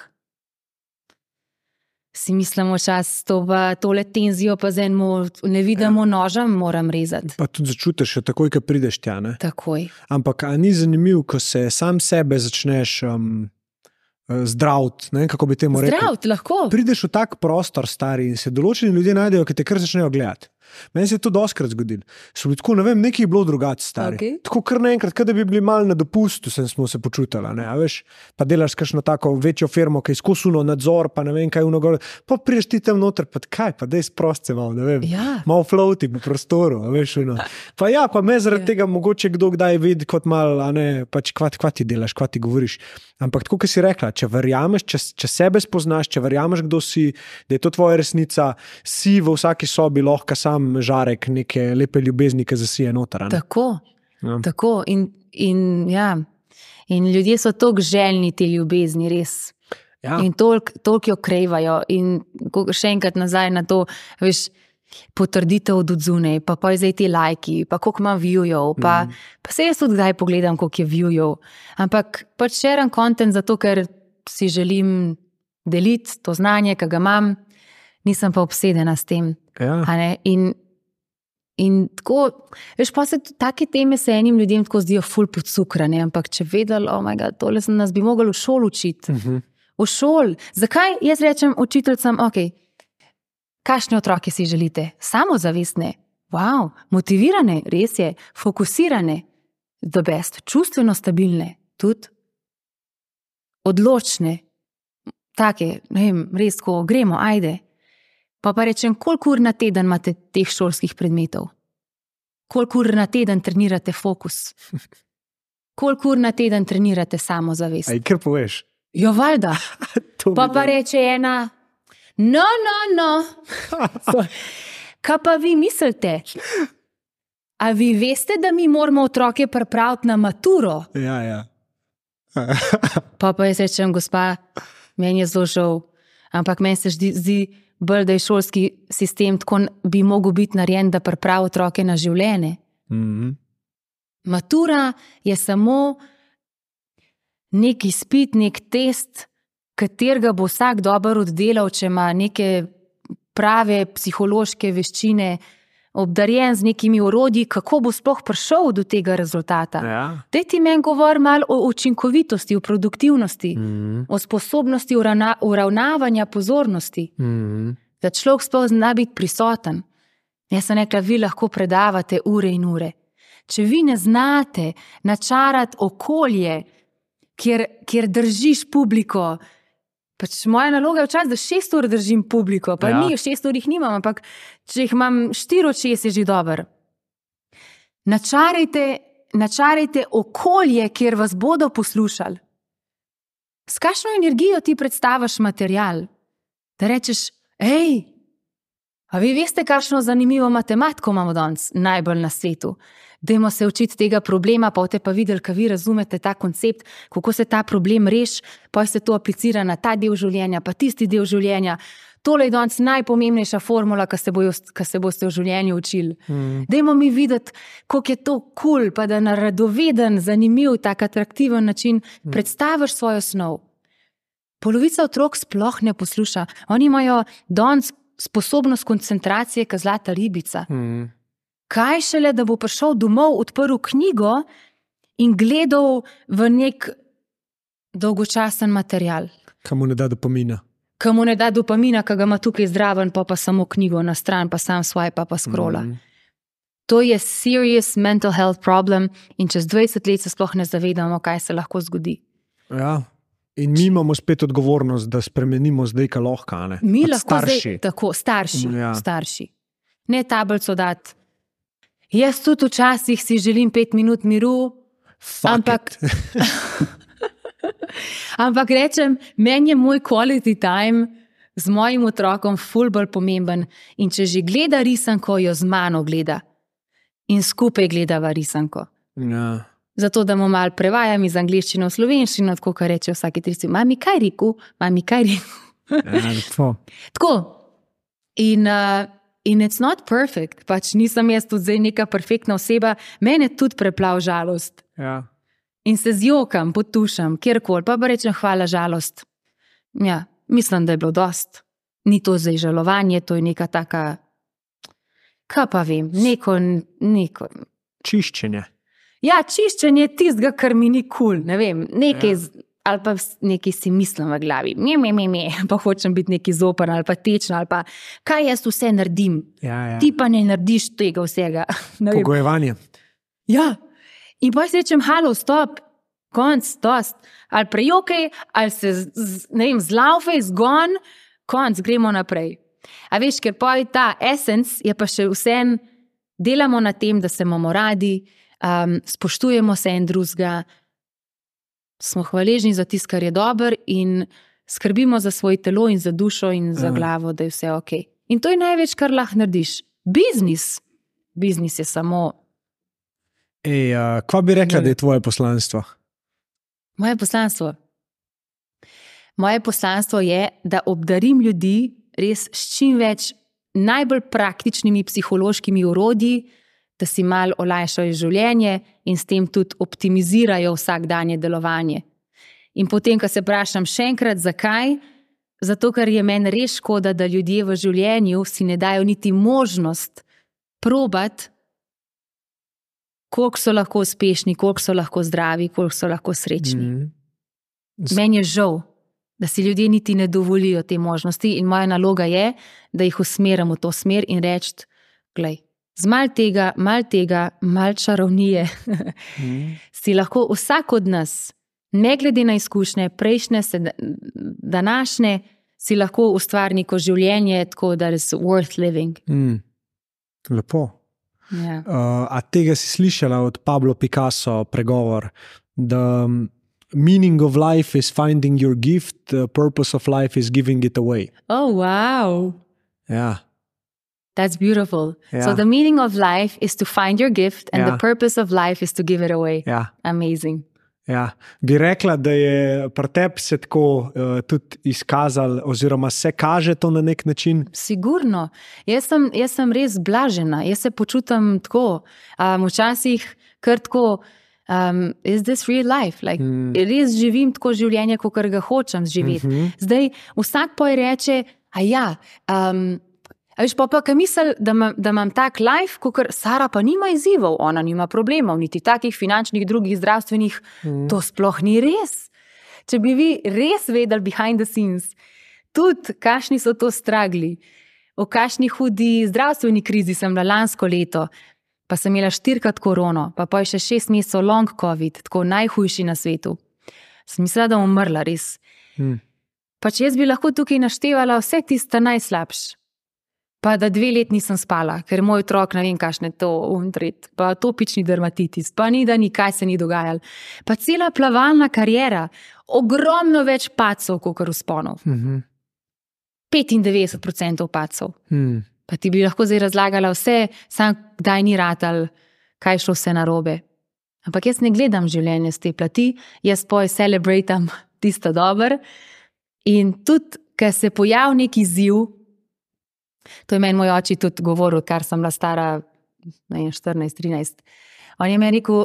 Si mislimo čas, to pa, tole tenzijo pa z enemu nevidimo nožem moram rezati. Pa tudi začutiš, takoj, ko prideš tja, ne? Takoj. Ampak a ni zanimiv, ko se sam sebe začneš um, zdraviti, ne, kako bi temu rekel? Zdraviti, lahko. Prideš v tak prostor, stari, in se določeni ljudje najdejo, ki te kar začnejo gledati. Meni se je to doskrat zgodilo. So bili tako, ne vem, nekaj je bilo drugače stari. Okay. Tako kar naenkrat, kada bi bili mal na dopustu, sem smo se počutili, ne, a veš, pa delaš kakšno tako večjo firmo, ki je izkusuno nadzor, pa ne vem, kaj unogor, pa priješ ti tam noter, pa kaj, pa dej sprost se malo, ne vem, Ja. malo floati po prostoru, a veš, uno. Pa ja, pa me zaradi tega mogoče kdo kdaj vidi kot mal, a ne, pač kva, kva ti delaš, kva ti govoriš. Ampak tako, kot si rekla, če verjameš, če, če sebe spoznaš, če verjameš, kdo si, da je to tvoja resnica, si v vsaki sobi lahko sam žarek neke lepe ljubezni, ki zasije noter. a ne? Tako, Ja. tako. In, in, ja. in ljudje so toliko željni te ljubezni, res. Ja. In toliko toliko jo krevajo. In ko- še enkrat nazaj na to, veš, potrditev od odzune, pa pa zdaj ti lajki, pa koliko ima viewjev, pa, mm. pa se jaz tudi kdaj pogledam, koliko je viewjev. Ampak pač shaream content zato, ker si želim deliti to znanje, ki ga imam, nisem pa obsedena s tem. Ja. A ne? In, in tako, veš, pa se tudi take teme se enim ljudem tako zdijo ful podcukrane, ampak če vedeli, oh my god, tole se nas bi mogli v šoli učiti. Uh -huh. V šoli. Zakaj jaz rečem učiteljcem, ok, kakšne otroke si želite? Samozavestne, wow, motivirane, res je, fokusirane, the best, čustveno stabilne, tudi odločne, take, ne vem, res, ko gremo, ajde. Pa pa rečem, koliko ur na teden imate teh šolskih predmetov? Koliko ur na teden trenirate fokus? Koliko ur na teden trenirate samozavest? Aj, kar poveš. Jo, valjda. To Pa bi pa dal. reče ena, no, no, no. Kaj pa vi mislite? A vi veste, da mi moramo otroke pripraviti na maturo? Ja, ja. Pa pa jaz rečem, gospa, meni je zelo žal, ampak meni se zdi, zdi bolj, da je šolski sistem tako bi mogel biti narejen, da pripravi otroke na življenje. Mhm. Matura je samo nek izpit, nek test, katerega bo vsak dobro oddelal, če ima neke prave psihološke veščine, obdarjen z nekimi orodji, kako bo sploh prišel do tega rezultata. Ja. Daj ti meni govor malo o učinkovitosti, o produktivnosti, Mhm. o sposobnosti uravna, uravnavanja pozornosti, Mhm. da človek sploh zna biti prisoten. Jaz sem rekla, vi lahko predavate ure in ure. Če vi ne znate načarati okolje, kjer, kjer držiš publiko, pač moja naloga je včasih, da šest ur držim publiko, pa Ja. ja. ni, šest ur jih nimam, ampak če jih imam štiri od šest, je že dober. Načarajte, načarajte okolje, kjer vas bodo poslušali. S kakšno energijo ti predstaviš material? Da rečeš, hej, a vi veste, kakšno zanimivo matematiko imamo danes, najbolj na svetu. Dajmo se učiti tega problema, pa boste pa videli, kaj vi razumete ta koncept, kako se ta problem reši, pa se to aplicira na ta del življenja, pa tisti del življenja. Tole je danes najpomembnejša formula, ki se, bojo, ki se boste v življenju učili. Mm. Dajmo mi videti, koliko je to kul, cool, pa da na radoveden, zanimiv, tak atraktiven način mm. predstaviš svojo snov. Polovica otrok sploh ne posluša. Oni imajo danes sposobnost koncentracije, kot zlata ribica. Mhm. Kaj šele, da bo prišel domov, odprl knjigo in gledal v nek dolgočasen material. Kamu ne da dopamina. Ki mu ne da dopamina, ki ga ima tukaj zdraven, pa pa samo knjigo na stran, pa sam swipe, pa, pa scrolla. Mm. To je serious mental health problem in čez dvajset let se sploh ne zavedamo, kaj se lahko zgodi. Ja. In mi imamo spet odgovornost, da spremenimo zdaj, kaj lahko, a ne? Mi Kot lahko starši. zdaj, tako, starši, Ja. starši. Ne tablico dati. Jaz tudi včasih si želim pet minut miru, Fuck ampak, it. ampak rečem, meni je moj quality time z mojim otrokom ful bolj pomemben in če že gleda risanko, jo z mano gleda. In skupaj gledava risanko. Ja. Zato, da mu malo prevajam iz angleščine v slovenščino, tako kar reče vsaki trici, mami kaj rekel, mami kaj rekel. Ja, lepo. Tako. In, uh, in it's not perfect, pač nisem jaz tudi zdaj neka perfektna oseba, mene tudi preplav žalost. Ja. In se zjokam, potušam, kjerkoli, pa pa rečem hvala žalost. Ja, mislim, da je bilo dost. Ni to zdaj žalovanje, to je neka taka, kaj pa vem, neko, neko. Čiščenje. Ja, čiščenje tistega, kar mi ni kul, cool, ne vem, nekaj, Ja. z- ali pa nekaj si mislim v glavi, me, me, me, me, pa hočem biti neki zoper ali pa tečna, ali pa kaj jaz vse naredim. Ja, ja. Ti pa ne narediš tega vsega. Pogojevanje. Ja. In pa si rečem, halo, stop, konc, dost. Ali prejokaj, ali se, z, ne vem, zlaufej, zgon, konc, gremo naprej. A veš, ker pa ta essence je pa še vsem, delamo na tem, da se imamo radi, um, spoštujemo se en drugega, smo hvaležni za tisto, kar je dober in skrbimo za svoje telo in za dušo in za Aha. glavo, da je vse ok. In to je največ, kar lahko narediš. Biznis. Biznis je samo... Ej, uh, kva bi rekla, da je tvoje poslanstvo? Moje poslanstvo? Moje poslanstvo je, da obdarim ljudi res s čim več najbolj praktičnimi psihološkimi orodji, da si malo olajšajo življenje in s tem tudi optimizirajo vsakdanje delovanje. In potem, ko se vprašam še enkrat, zakaj? Zato, ker je meni res škoda, da ljudje v življenju si ne dajo niti možnost probati, koliko so lahko uspešni, koliko so lahko zdravi, koliko so lahko srečni. Mm. Meni je žal, da si ljudje niti ne dovolijo te možnosti in moja naloga je, da jih usmerim v to smer in reči, glej, z mal tega, mal tega, mal čarovnije, mm. si lahko vsak od nas, ne glede na izkušnje, prejšnje, današnje, si lahko ustvari neko življenje, tako da je worth living. Mm. Lepo. Ja. Uh, a tega si slišala od Pablo Picasso pregovor, da meaning of life is finding your gift, the purpose of life is giving it away. Oh, wow. Ja. That's beautiful. Ja. So the meaning of life is to find your gift and Ja. the purpose of life is to give it away. Ja. Amazing. Ja. Bi rekla, da je pri tebi se tako uh, tudi izkazal oziroma se kaže to na nek način? Sigurno. Jaz sem, jaz sem res blažena. Jaz se počutim tako. Um, včasih kar tako, um, is this real life? Like, mm. Res živim tako življenje, kakor ga hočem živeti. Mm-hmm. Zdaj, vsak poj reče, a ja, um, a veš, pa pa, kaj misel, da, da imam tak life, kakor Sara pa nima izzivov, ona nima problemov, niti takih finančnih, drugih, zdravstvenih, mm. to sploh ni res. Če bi vi res vedeli behind the scenes, tudi kakšni so to stragli, v kakšni hudi zdravstveni krizi sem bila lansko leto, pa sem imela štirikrat korono, pa pa je še šest mesecev long covid, tako najhujši na svetu. Sem mislila, da bom umrla res. Mm. Pa če jaz bi lahko tukaj naštevala vse tiste najslabš, pa da dve let nisem spala, ker moj otrok ne vem kakšne to untret, pa atopični dermatitis, pa ni da nikaj se ni dogajalo. Pa cela plavalna karijera, ogromno več pacov, kakor vzponov. Mm-hmm. petindevetdeset procentov pacov. Mm. Pa ti bi lahko zdaj razlagala vse, sam kdaj ni ratal, kaj šlo vse narobe. Ampak jaz ne gledam življenje z te plati, jaz poj celebratam tisto dober in tudi, ker se pojavi neki izziv, to je meni moj oči tudi govoril, kar sem bila stara štirinajst trinajst. On je meni rekel,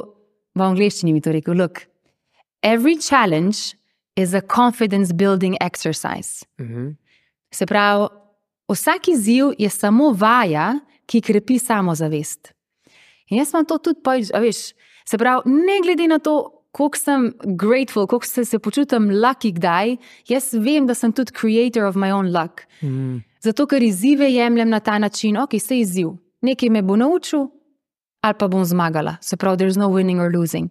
v angleščini mi to rekel, look, every challenge is a confidence building exercise. Mm-hmm. Se pravi, vsak izziv je samo vaja, ki krepi samozavest. In jaz imam to tudi, pa, veš, se pravi, ne glede na to, koliko sem grateful, koliko se, se počutim lucky kdaj, jaz vem, da sem tudi creator of my own luck. Mm. Zato, ker izzive jemljem na ta način, ok, se izziv, nekaj me bo naučil, ali pa bom zmagala. Se pravi, there's no winning or losing.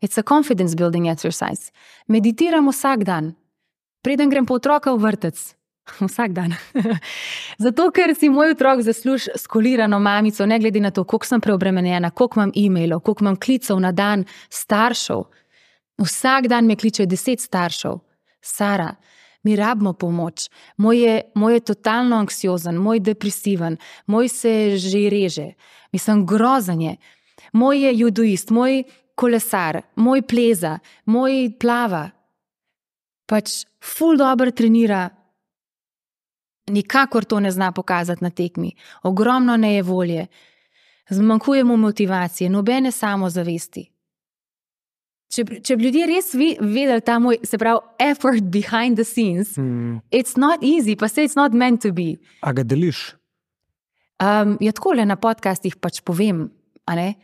It's a confidence building exercise. Meditiram vsak dan. Preden grem po otroka v vrtec. Vsak dan. Zato, ker si moj otrok zasluž skolirano mamico, ne glede na to, koliko sem preobremenjena, koliko imam e-mailov, koliko imam klicev na dan staršev. Vsak dan me kliče deset staršev. Sara, mi rabimo pomoč. Moj je, moj je totalno anksiozen, moj depresiven, moj se že reže. Mislim, grozen je. Moj je judoist, moj kolesar, moj pleza, moj plava. Pač ful dobro trenira. Nikakor to ne zna pokazati na tekmi. Ogromno nejevolje. Zmanjkuje mu motivacije, nobene samozavesti. Če, če bi ljudje res vedeli ta moj, se pravi, effort behind the scenes, mm. it's not easy, pa se it's not meant to be. A ga deliš? Um, ja, takole na podcastih pač povem, a ne?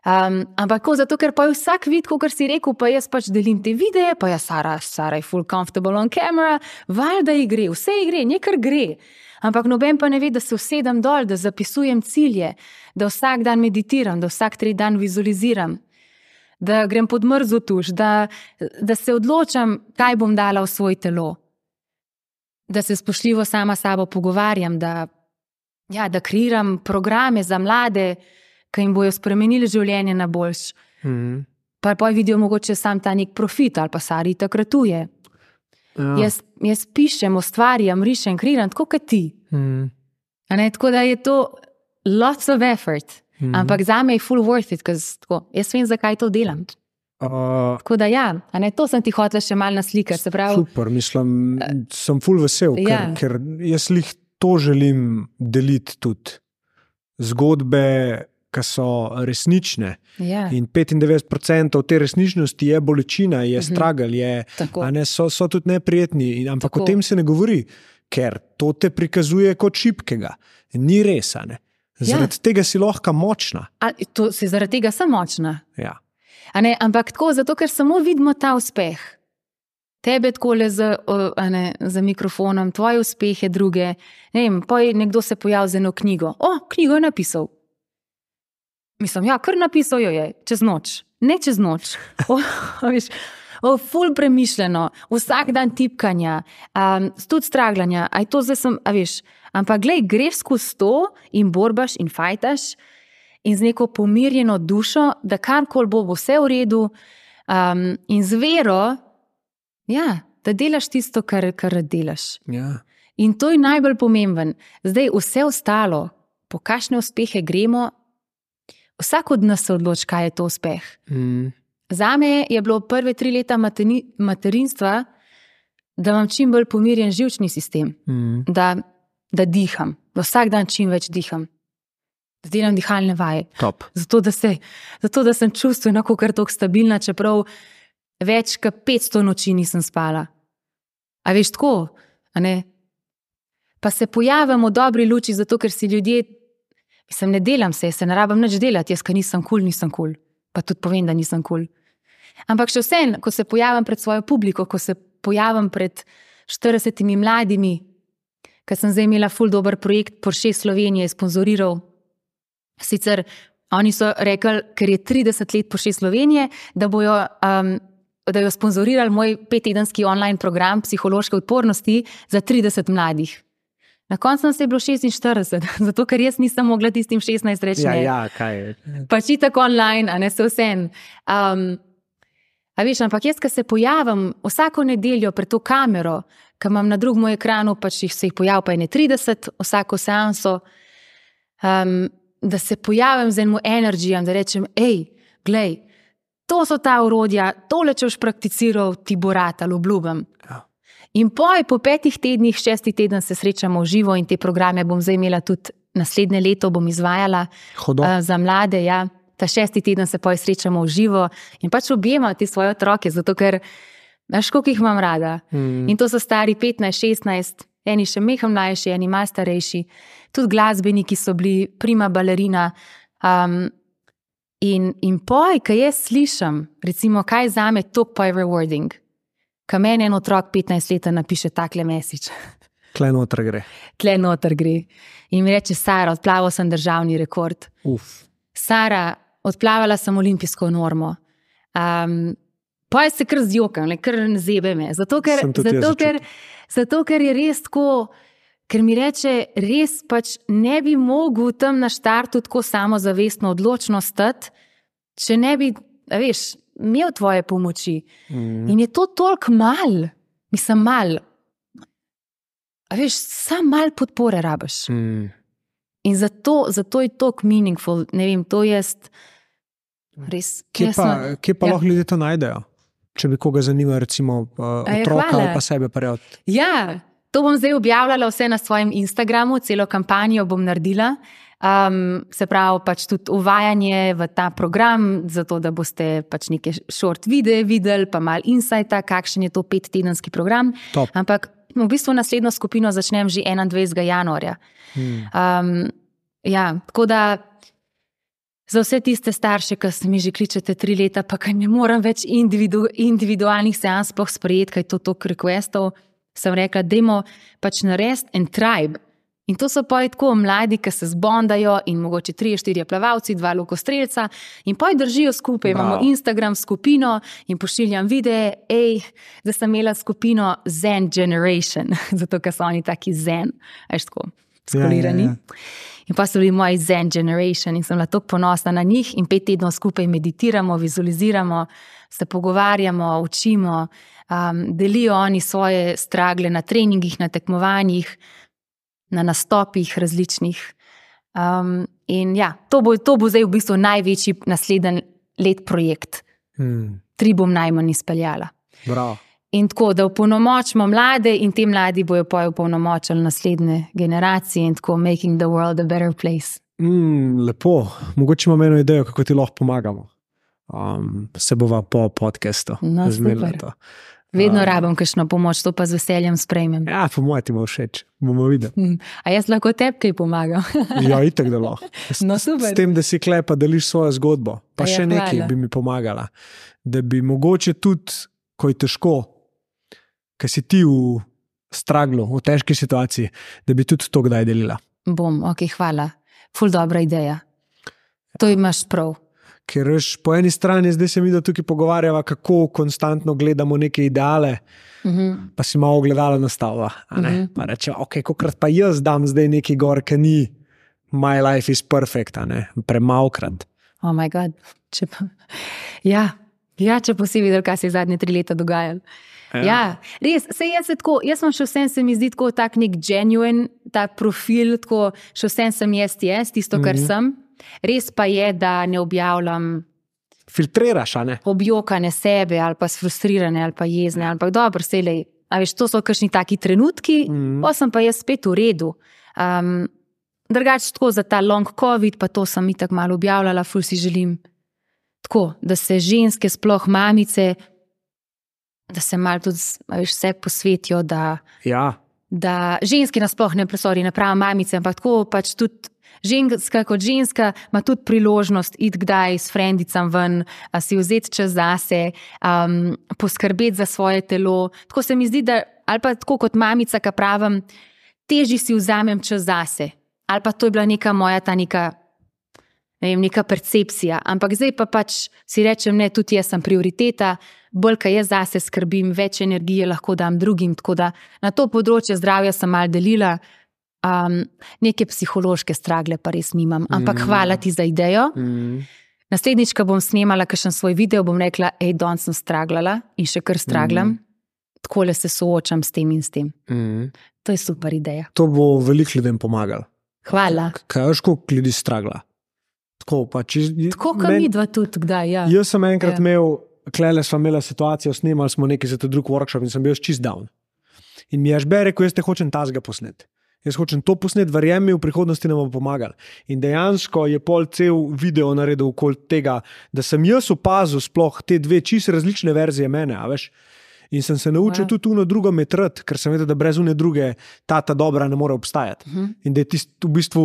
Um, ampak ko, zato, ker pa je vsak vid, kot si rekel, pa jaz pač delim te videe, pa je Sara, Sara je full comfortable on camera, valjda ji gre, vse ji gre, nekaj gre. Ampak noben pa ne ve, da se usedem dol, da zapisujem cilje, da vsak dan meditiram, da vsak tri dan vizualiziram, da grem pod mrzo tuš, da, da se odločam, kaj bom dala v svoj telo, da se spoštljivo sama sabo pogovarjam, da, ja, da kreiram programe za mlade, ki jim bojo spremenili življenje na boljš. Mm. Pa pa vidijo mogoče sam ta nek profit, ali pa Sari takratuje. Ja. Jaz, jaz pišem, ustvarjam, rišem, kreiram, tako kot ti. Mm. Tako da je to lots of effort. Mm. Ampak zame je full worth it, tako, jaz vem, zakaj to delam. Uh, tako da ja, a ne, to sem ti hotela še malo naslikati. Se pravi, super, mislim, sem full vesel, ja. ker, ker jaz lih to želim deliti tudi. Zgodbe, ki so resnične. Ja. In petindevetdeset procentov te resničnosti je bolečina, je uh-huh. struggle, je, a ne, so, so tudi neprijetni, ampak Tako. O tem se ne govori, ker to te prikazuje kot šibkega. Ni res, a ne. Zaradi ja. tega si lahko močna. A, to, si zaradi tega sem močna. Ja. A ne, ampak tako, zato ker samo vidimo ta uspeh. Tebe takole z, a ne, z mikrofonom, tvoje uspehe, druge. Ne vem, pa je nekdo se pojavil z eno knjigo. O, knjigo je napisal. Mislim, ja, kar napisal jo je, čez noč. Ne čez noč. O, veš, o, ful premišljeno, vsak dan tipkanja, um, tudi straglanja. A je to zdaj sem, a veš, ampak glej, greš skozi to in borbaš in fajtaš in z neko pomirjeno dušo, da karkoli bo, bo vse v redu um, in z vero, ja, da delaš tisto, kar, kar delaš. Ja. In to je najbolj pomemben. Zdaj vse ostalo, po kakšne uspehe gremo, vsak od nas se odloči, kaj je to uspeh. Mm. Zame je bilo prve tri leta materi, materinstva, da imam čim bolj pomirjen živčni sistem, mm. da, da diham, da vsak dan čim več diham. Da delam dihalne vaje. Top. Zato, da, se, zato, da sem čustveno kar toliko stabilna, čeprav več kot petsto noči nisem spala. A veš tako? A ne? Pa se pojavim v dobri luči, zato ker si ljudje, mislim, ne delam se, se ne rabim nič delati, jaz, ker nisem kul, cool, nisem kul. Cool. Pa tudi povem, da nisem kul. Cool. Ampak še vse, ko se pojavim pred svojo publiko, ko se pojavim pred štiridesetimi mladimi, ker sem zdaj imela ful dober projekt, Porsche Slovenije je sponzoriral. Sicer oni so rekli, ker je trideset let Porsche Slovenije, da bojo, um, da jo sponzorirali moj pettedenski online program psihološke odpornosti za trideset mladih. Na koncu nas je bilo šestinštirideset, zato ker jaz nisem mogla tistim šestnajst reči. Ja, ja, kaj je. Pač itak online, a ne se vsem. Um, a veš, ampak jaz, ko se pojavim vsako nedeljo pred to kamero, ko imam na drugem ekranu, pač jih se jih pojav pa je ne trideset, vsako seanso, um, da se pojavim z enim energijam, da rečem, ej, glej, to so ta orodja, tole če boš prakticiral, ti bo ratal, obljubim. Ja. In poj, po petih tednih, šestih teden se srečamo v živo in te programe bom zdaj imela tudi naslednje leto, bom izvajala uh, za mlade, ja. Ta šesti teden se poj srečamo v živo in pač objemam te svoje otroke, zato ker, znaš, koliko jih imam rada. Mm. In to so stari petnajst, šestnajst, eni še meham mlajši, eni malo starejši, tudi glasbeniki so bili, prima balerina. Um, in, in poj, kaj jaz slišam, recimo, kaj zame toliko poj rewarding, ka meni en otrok petnajst leta napiše takle message. Tle noter gre. Tle noter gre. In mi reče, Sara, odplaval sem državni rekord. Uf. Sara, odplavala sem olimpijsko normo. Um, pa je se kar zjokam, kar zebe me. Zato ker, zato, ker, zato, ker je res tako, ker mi reče, res pač ne bi mogel tam na štartu tako samozavestno odločno stati, če ne bi, a veš, imel tvoje pomoči. Mm. In je to toliko mal, mislim mal. A veš, sam mal podpore rabiš. Mm. In zato, zato je toliko meaningful, ne vem, to je res. Kje pa, kje pa ja. lahko ljudje to najdejo? Če bi koga zanima, recimo uh, otroka ali pa sebe prijaviti. Ja, to bom zdaj objavljala vse na svojem Instagramu, celo kampanjo bom naredila. Um, se pravi, pač tudi uvajanje v ta program, zato da boste pač neke short videe videli, pa malo insighta, kakšen je to pettedenski program. Top. Ampak v bistvu naslednjo skupino začnem že enaindvajsetega januarja. Hmm. Um, ja, tako da Za vse tiste starše, ki se mi že kličete tri leta, pa ki ne morem več individu, individualnih seans sploh sprejeti, kaj je to toliko requestov, sem rekla, dajmo pač narediti en tribe. In to so pa tako mladi, ki se zbondajo in mogoče trije, štirje plavalci, dva lokostrelca in pa držijo skupaj. Wow. Imamo Instagram skupino in pošiljam videe, ej, da sem imela skupino Zen Generation, zato ker so oni taki zen, veš tako, skolirani. Ja, ja, ja. In pa so bili moji Zen Generation in sem bila tako ponosna na njih in pet tednov skupaj meditiramo, vizualiziramo, se pogovarjamo, učimo, um, delijo oni svoje stragle na treningih, na tekmovanjih, na nastopih različnih. Um, in ja, to bo, to bo zdaj v bistvu največji naslednji let projekt. Hmm. Tri bom najmanj izpeljala. Bravo. In tako, da opolnomočimo mlade in te mladi bojo pa opolnomočili naslednje generacije in tako making the world a better place. Mm, lepo. Mogoče imam eno idejo, kako ti lahko pomagamo. Um, se bova po podcastu. No, super. Vedno um, rabim kakšno pomoč, to pa z veseljem sprejmem. Ja, po mojem ti bo všeč. Bomo videli. A jaz lahko tebi kaj pomagam? Ja, itak da lahko. No, super. S tem, da si klepa, deliš svojo zgodbo. Pa ja, še nekaj hvala. Bi mi pomagala. Da bi mogoče tudi, ko je težko, ker si ti v straglu, v težki situaciji, da bi tudi to kdaj delila. Bom, ok, hvala. Ful dobra ideja. To imaš prav. Ker veš, po eni strani zdaj se mi da tukaj pogovarjava, kako konstantno gledamo neke ideale, uh-huh. pa si malo ogledala nastavlja. Uh-huh. Pa reče, ok, kokrat pa jaz dam zdaj neki gor, ki ni my life is perfect, premalkrat. Oh my god. Če pa... Ja, ja, če pa si videl, kaj se je zadnje tri leta dogajalo. Ja. Ja, res, sej jaz se tako, jaz sem še vsem se mi zdi tako tak nek genuine, tak profil, tako še vsem sem jaz jaz, tisto, kar mm-hmm. sem. Res pa je, da ne objavljam filtriraš, a ne? Objokane sebe, ali pa sfrustrirane, ali pa jezne, ali pa dobro, selej, a veš, to so kakšni taki trenutki, mm-hmm. pa sem pa jaz spet v redu. Um, drugače tako za ta long covid, pa to sem itak malo objavljala, ful si želim. Tako, da se ženske, sploh mamice, da se malo tudi, veš, vse posvetijo, da, ja. Da ženski nasploh ne presori, ne pravi mamice, ampak tako pač tudi ženska kot ženska ima tudi priložnost iti kdaj s frendicam ven, si vzeti čas zase, um, poskrbeti za svoje telo. Tako se mi zdi, da, ali pa tako kot mamica, ki pravim, težji si vzamem čas zase. Ali pa to je bila neka moja ta neka, ne vem, neka percepcija. Ampak zdaj pa pač si rečem, ne, tudi jaz sem prioriteta, bolj, kaj jaz zase skrbim, več energije lahko dam drugim, tako da na to področje zdravja sem malo delila, um, neke psihološke stragle pa res nimam, ampak mm. hvala ti za idejo. Mm. Naslednjič, ko bom snemala kakšen svoj video, bom rekla, ej, danes sem straglala in še kar straglam, mm. takole se soočam s tem in s tem. Mm. To je super ideja. To bo veliko ljudem pomagalo. Hvala. Kaj veš, koliko ljudi stragla? Tako, pa, če, tako kot mi dva tudi, kdaj, ja. Jaz sem enkrat ja. imel, klele smo imela situacijo, snemali smo nekaj za to drug workshop in sem bil čist down. In mi je žbe rekel, jaz te hočem tazga posnet. Jaz hočem to posnet, verjem mi, v prihodnosti nam bo pomagal. In dejansko je pol cel video naredil okoli tega, da sem jaz opazil sploh te dve čisto različne verzije mene, a veš. In sem se naučil ja. tudi uno drugo metrati, ker sem vedel, da brez une druge ta ta dobra ne more obstajati. Uh-huh. In da je tist, v bistvu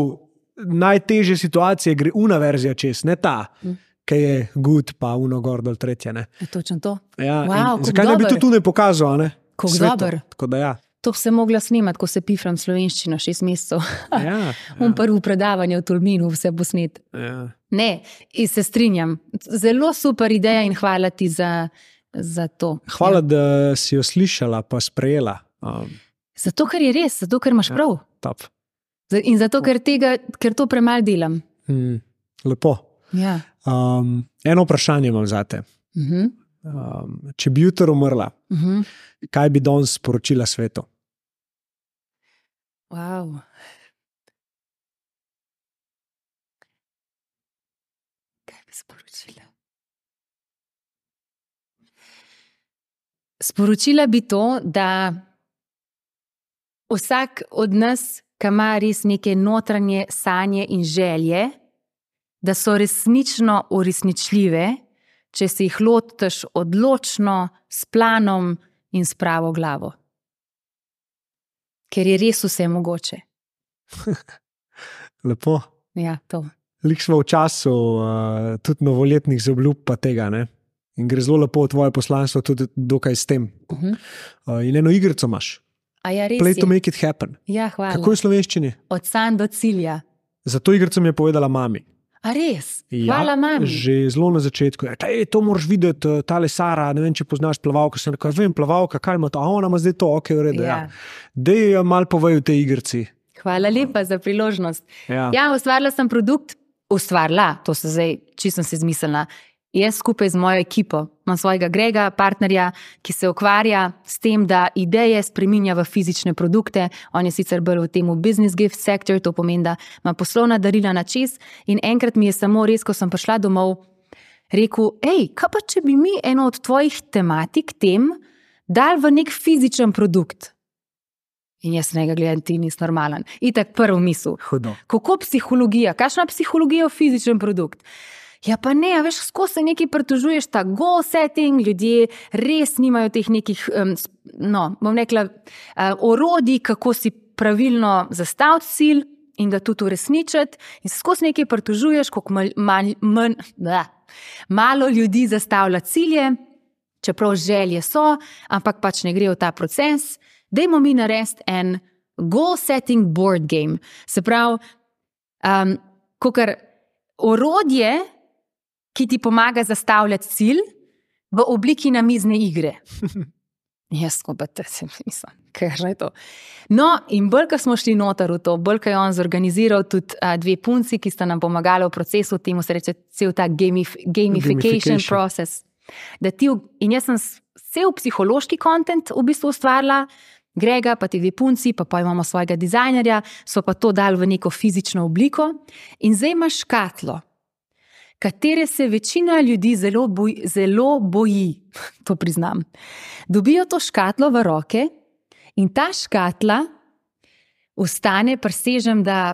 najtežje situacije gre una verzija čez, ne ta, uh-huh. ki je good, pa uno gor dol tretje. Ne. Je točno to. Ja, wow, zakaj ne bi to tu ne pokazal, ne? Kako dober. Tako da ja. To bi se mogla snimati, ko se pifram slovenščino šest mesecev. Ja, ja. Un prvo predavanje v Tolminu, vse posnet. Ja. Ne, in se strinjam. Zelo super ideja in hvala ti za, za to. Hvala, ja. da si jo slišala, pa sprejela. Um. Zato, ker je res, zato, ker imaš prav. Ja, top. In zato, ker, tega, ker to premalo delam. Hmm, lepo. Ja. Um, eno vprašanje imam zate. Uh-huh. Um, če bi jutro umrla, uh-huh. kaj bi danes sporočila svetu? Wow. Kaj bi sporočila? Sporočila bi to, da vsak od nas, ki ima res neke notranje sanje in želje, da so resnično uresničljive, če se jih lotiš odločno, s planom in s pravo glavo. Ker je res vse mogoče. Lepo. Ja, to. Lik smo v času uh, tudi novoletnih zaobljub pa tega, ne? In gre zelo lepo tvoje poslanstvo tudi dokaj s tem. Uh-huh. Uh, in eno igrico imaš. A ja, res Play je. to make it happen. Ja, hvala. Kako je v slovenščini? Od sanj do cilja. Za to igrico mi je povedala mami. A res? Ja, Hvala mami. že zelo na začetku. Je, ej, to moraš videti, tale Sara, ne vem, če poznaš plavalka. Sem rekel, vem, plavalka, kaj ima to? A ona ima zdaj to, ok, v redu. Ja. Ja. Dej malo povej v tej igrici. Hvala lepa za priložnost. Ja. Ja, ustvarila sem produkt, ustvarila, to se zdaj, čisto sem si izmislila. Jaz skupaj z mojo ekipo, imam svojega Grega, partnerja, ki se ukvarja s tem, da ideje spreminja v fizične produkte. On je sicer bolj v tem business gift sector, to pomeni, da ima poslovna darila na čez. In enkrat mi je samo res, ko sem prišla domov, rekel, ej, kaj pa če bi mi eno od tvojih tematik tem dal v nek fizičen produkt? In jaz nekaj gledam, ti nisi normalen. Itak prv misel. Hudo. Kako psihologija? Kakšna psihologija v fizičen produkt? Ja pa ne, a veš, skozi se nekaj pritožuješ, ta goal setting, ljudje res nimajo teh nekih, um, no, bom rekla, uh, orodij, kako si pravilno zastaviti cilj in ga tudi uresničiti. In se skozi nekaj pritožuješ, koliko mal, mal, man, da, malo ljudi zastavlja cilje, čeprav želje so, ampak pač ne gre v ta proces. Dajmo mi narediti en goal setting board game. Se pravi, um, kakor orodje, ki ti pomaga zastavljati cilj v obliki namizne igre. Jaz ko pa te se mislim, kaj je to. No, in bolj, ko smo šli noter v to, bolj, ko je on zorganiziral tudi a, dve punci, ki sta nam pomagali v procesu, temu se reče cel ta gamif gamification, gamification process. Da ti, in jaz sem cel psihološki content v bistvu ustvarila, Grega, pa ti dve punci, pa pa imamo svojega dizajnerja, so pa to dali v neko fizično obliko in zdaj imaš škatlo, katere se večina ljudi zelo boji, zelo boji, to priznam. Dobijo to škatlo v roke in ta škatla ostane, presežem, da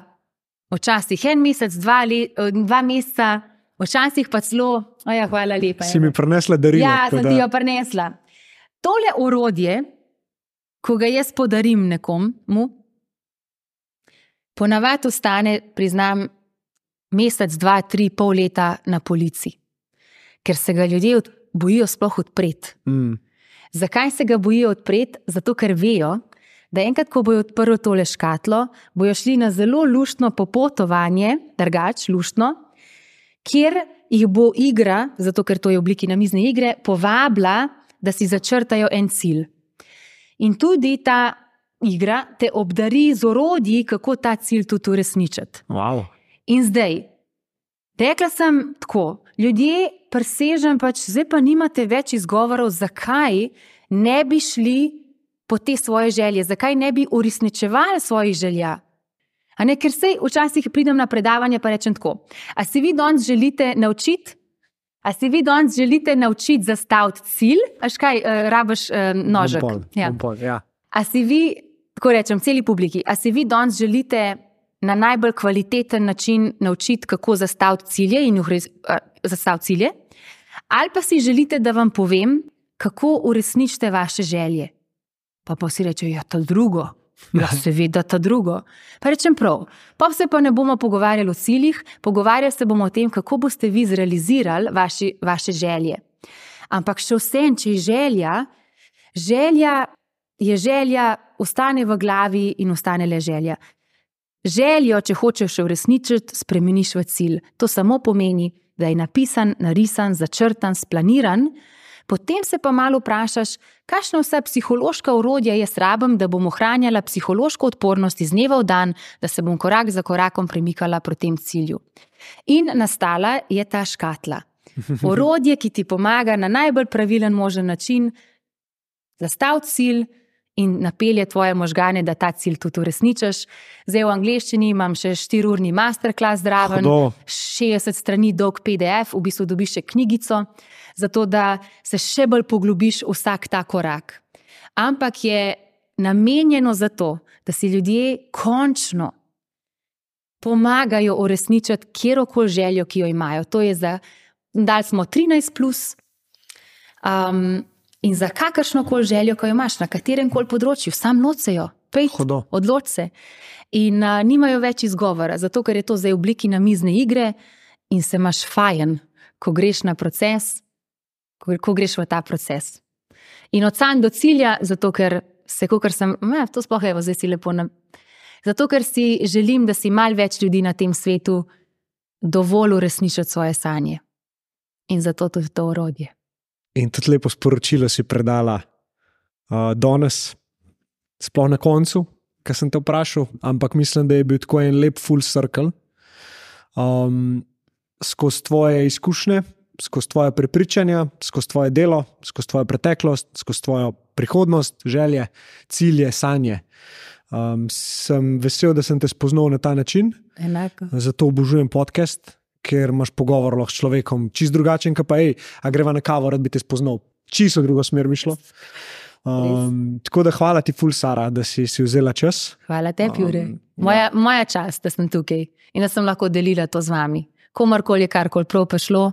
včasih en mesec, dva, le, dva meseca, včasih pa celo, oja, hvala lepa. Si mi prinesla darilo. Ja, sem da... ti jo prinesla. Tole orodje, ko ga jaz podarim nekomu, ponavadi ostane, priznam, mesec, dva, tri, pol leta na polici. Ker se ga ljudje bojijo sploh odpreti. Mm. Zakaj se ga bojijo odpreti? Zato, ker vejo, da enkrat, ko bojo odprli tole škatlo, bojo šli na zelo luštno popotovanje, drugač, luštno, kjer jih bo igra, zato ker to je v obliki namizne igre, povabila, da si začrtajo en cilj. In tudi ta igra te obdari z orodji, kako ta cilj tudi uresničiti. Wow. In zdaj, rekla sem tako, ljudje presežem pač, zdaj pa nimate več izgovorov, zakaj ne bi šli po te svoje želje, zakaj ne bi uresničevali svojih želja. A ne, ker sej včasih pridem na predavanje pa rečem tako, a si vi danes želite naučiti, a si vi danes želite naučiti zastaviti cilj, až kaj, uh, rabiš uh, nožek. Pol, ja. pol, ja. A si vi, tako rečem, celi publiki, a si vi danes želite na najbolj kvaliteten način naučiti, kako zastaviti cilje in uh, zastaviti cilje, ali pa si želite, da vam povem, kako uresničite vaše želje. Pa pa si reče, ja, to drugo. Ja, seveda to drugo. Pa rečem prav, pa se pa ne bomo pogovarjali o ciljih, pogovarjali se bomo o tem, kako boste vi zrealizirali vaši, vaše želje. Ampak še vsem, če je želja, želja je želja, ostane v glavi in ostane le želja. Željo, če hočeš uresničiti, spremeniš v cilj. To samo pomeni, da je napisan, narisan, začrtan, splaniran, potem se pa malo vprašaš, kakšna vsa psihološka orodja jaz rabim, da bom ohranjala psihološko odpornost iz dneva v dan, da se bom korak za korakom premikala proti tem cilju. In nastala je ta škatla. Orodje, ki ti pomaga na najbolj pravilen možen način zastaviti cilj in napelje tvoje možgane, da ta cilj tudi uresničiš. Zdaj v angleščini imam še štiriurni masterclass zraven, Hudo. šestdeset strani dolg P D F, v bistvu dobiš še knjigico, zato da se še bolj poglobiš vsak ta korak. Ampak je namenjeno za to, da si ljudje končno pomagajo uresničiti kjerokoli željo, ki jo imajo. To je za, dali smo trinajst plus, um, in za kakršnokoli željo, ko jo imaš, na katerem koli področju, sam nocejo. pejt, Hudo. odloč se. In uh, nimajo več izgovora, zato ker je to zdaj v obliki namizne igre in se imaš fajn, ko greš na proces, ko, ko greš v ta proces. In od sanj do cilja, zato ker se, kakor sem, ne, to sploh je, zdaj si lepo na... Zato ker si želim, da si malo več ljudi na tem svetu dovolj uresničiti svoje sanje. In zato tudi to orodje. In tudi lepo sporočilo si predala uh, danes, sploh na koncu, kar sem te vprašal, ampak mislim, da je bil tako en lep full circle. Um, skozi tvoje izkušnje, skozi tvoje prepričanja, skozi tvoje delo, skozi tvojo preteklost, skozi tvojo prihodnost, želje, cilje, sanje. Um, sem vesel, da sem te spoznal na ta način. Enako. Zato obožujem podcast, ker imaš pogovor lahko s človekom čist drugačen, ka pa ej, a greva na kavo, rad bi te spoznal. Čisto drugo smer mi šlo. Um, tako da hvala ti ful, Sara, da si, si vzela čas. Hvala tebi, Jure. Um, moja, ja. moja čast, da sem tukaj in da sem lahko delila to z vami. Komorkoli je karkoli prav prišlo,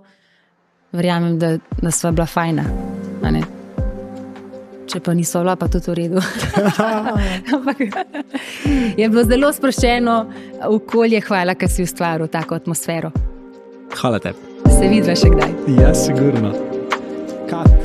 verjamem, da, da sva bila fajna. A ne? Če pa niso bila, pa tudi v redu. Je bilo zelo sproščeno okolje, hvala, ker si ustvaril tako atmosfero. Hvala tebi. Se vidva še kdaj. Ja, sigurno. Kat.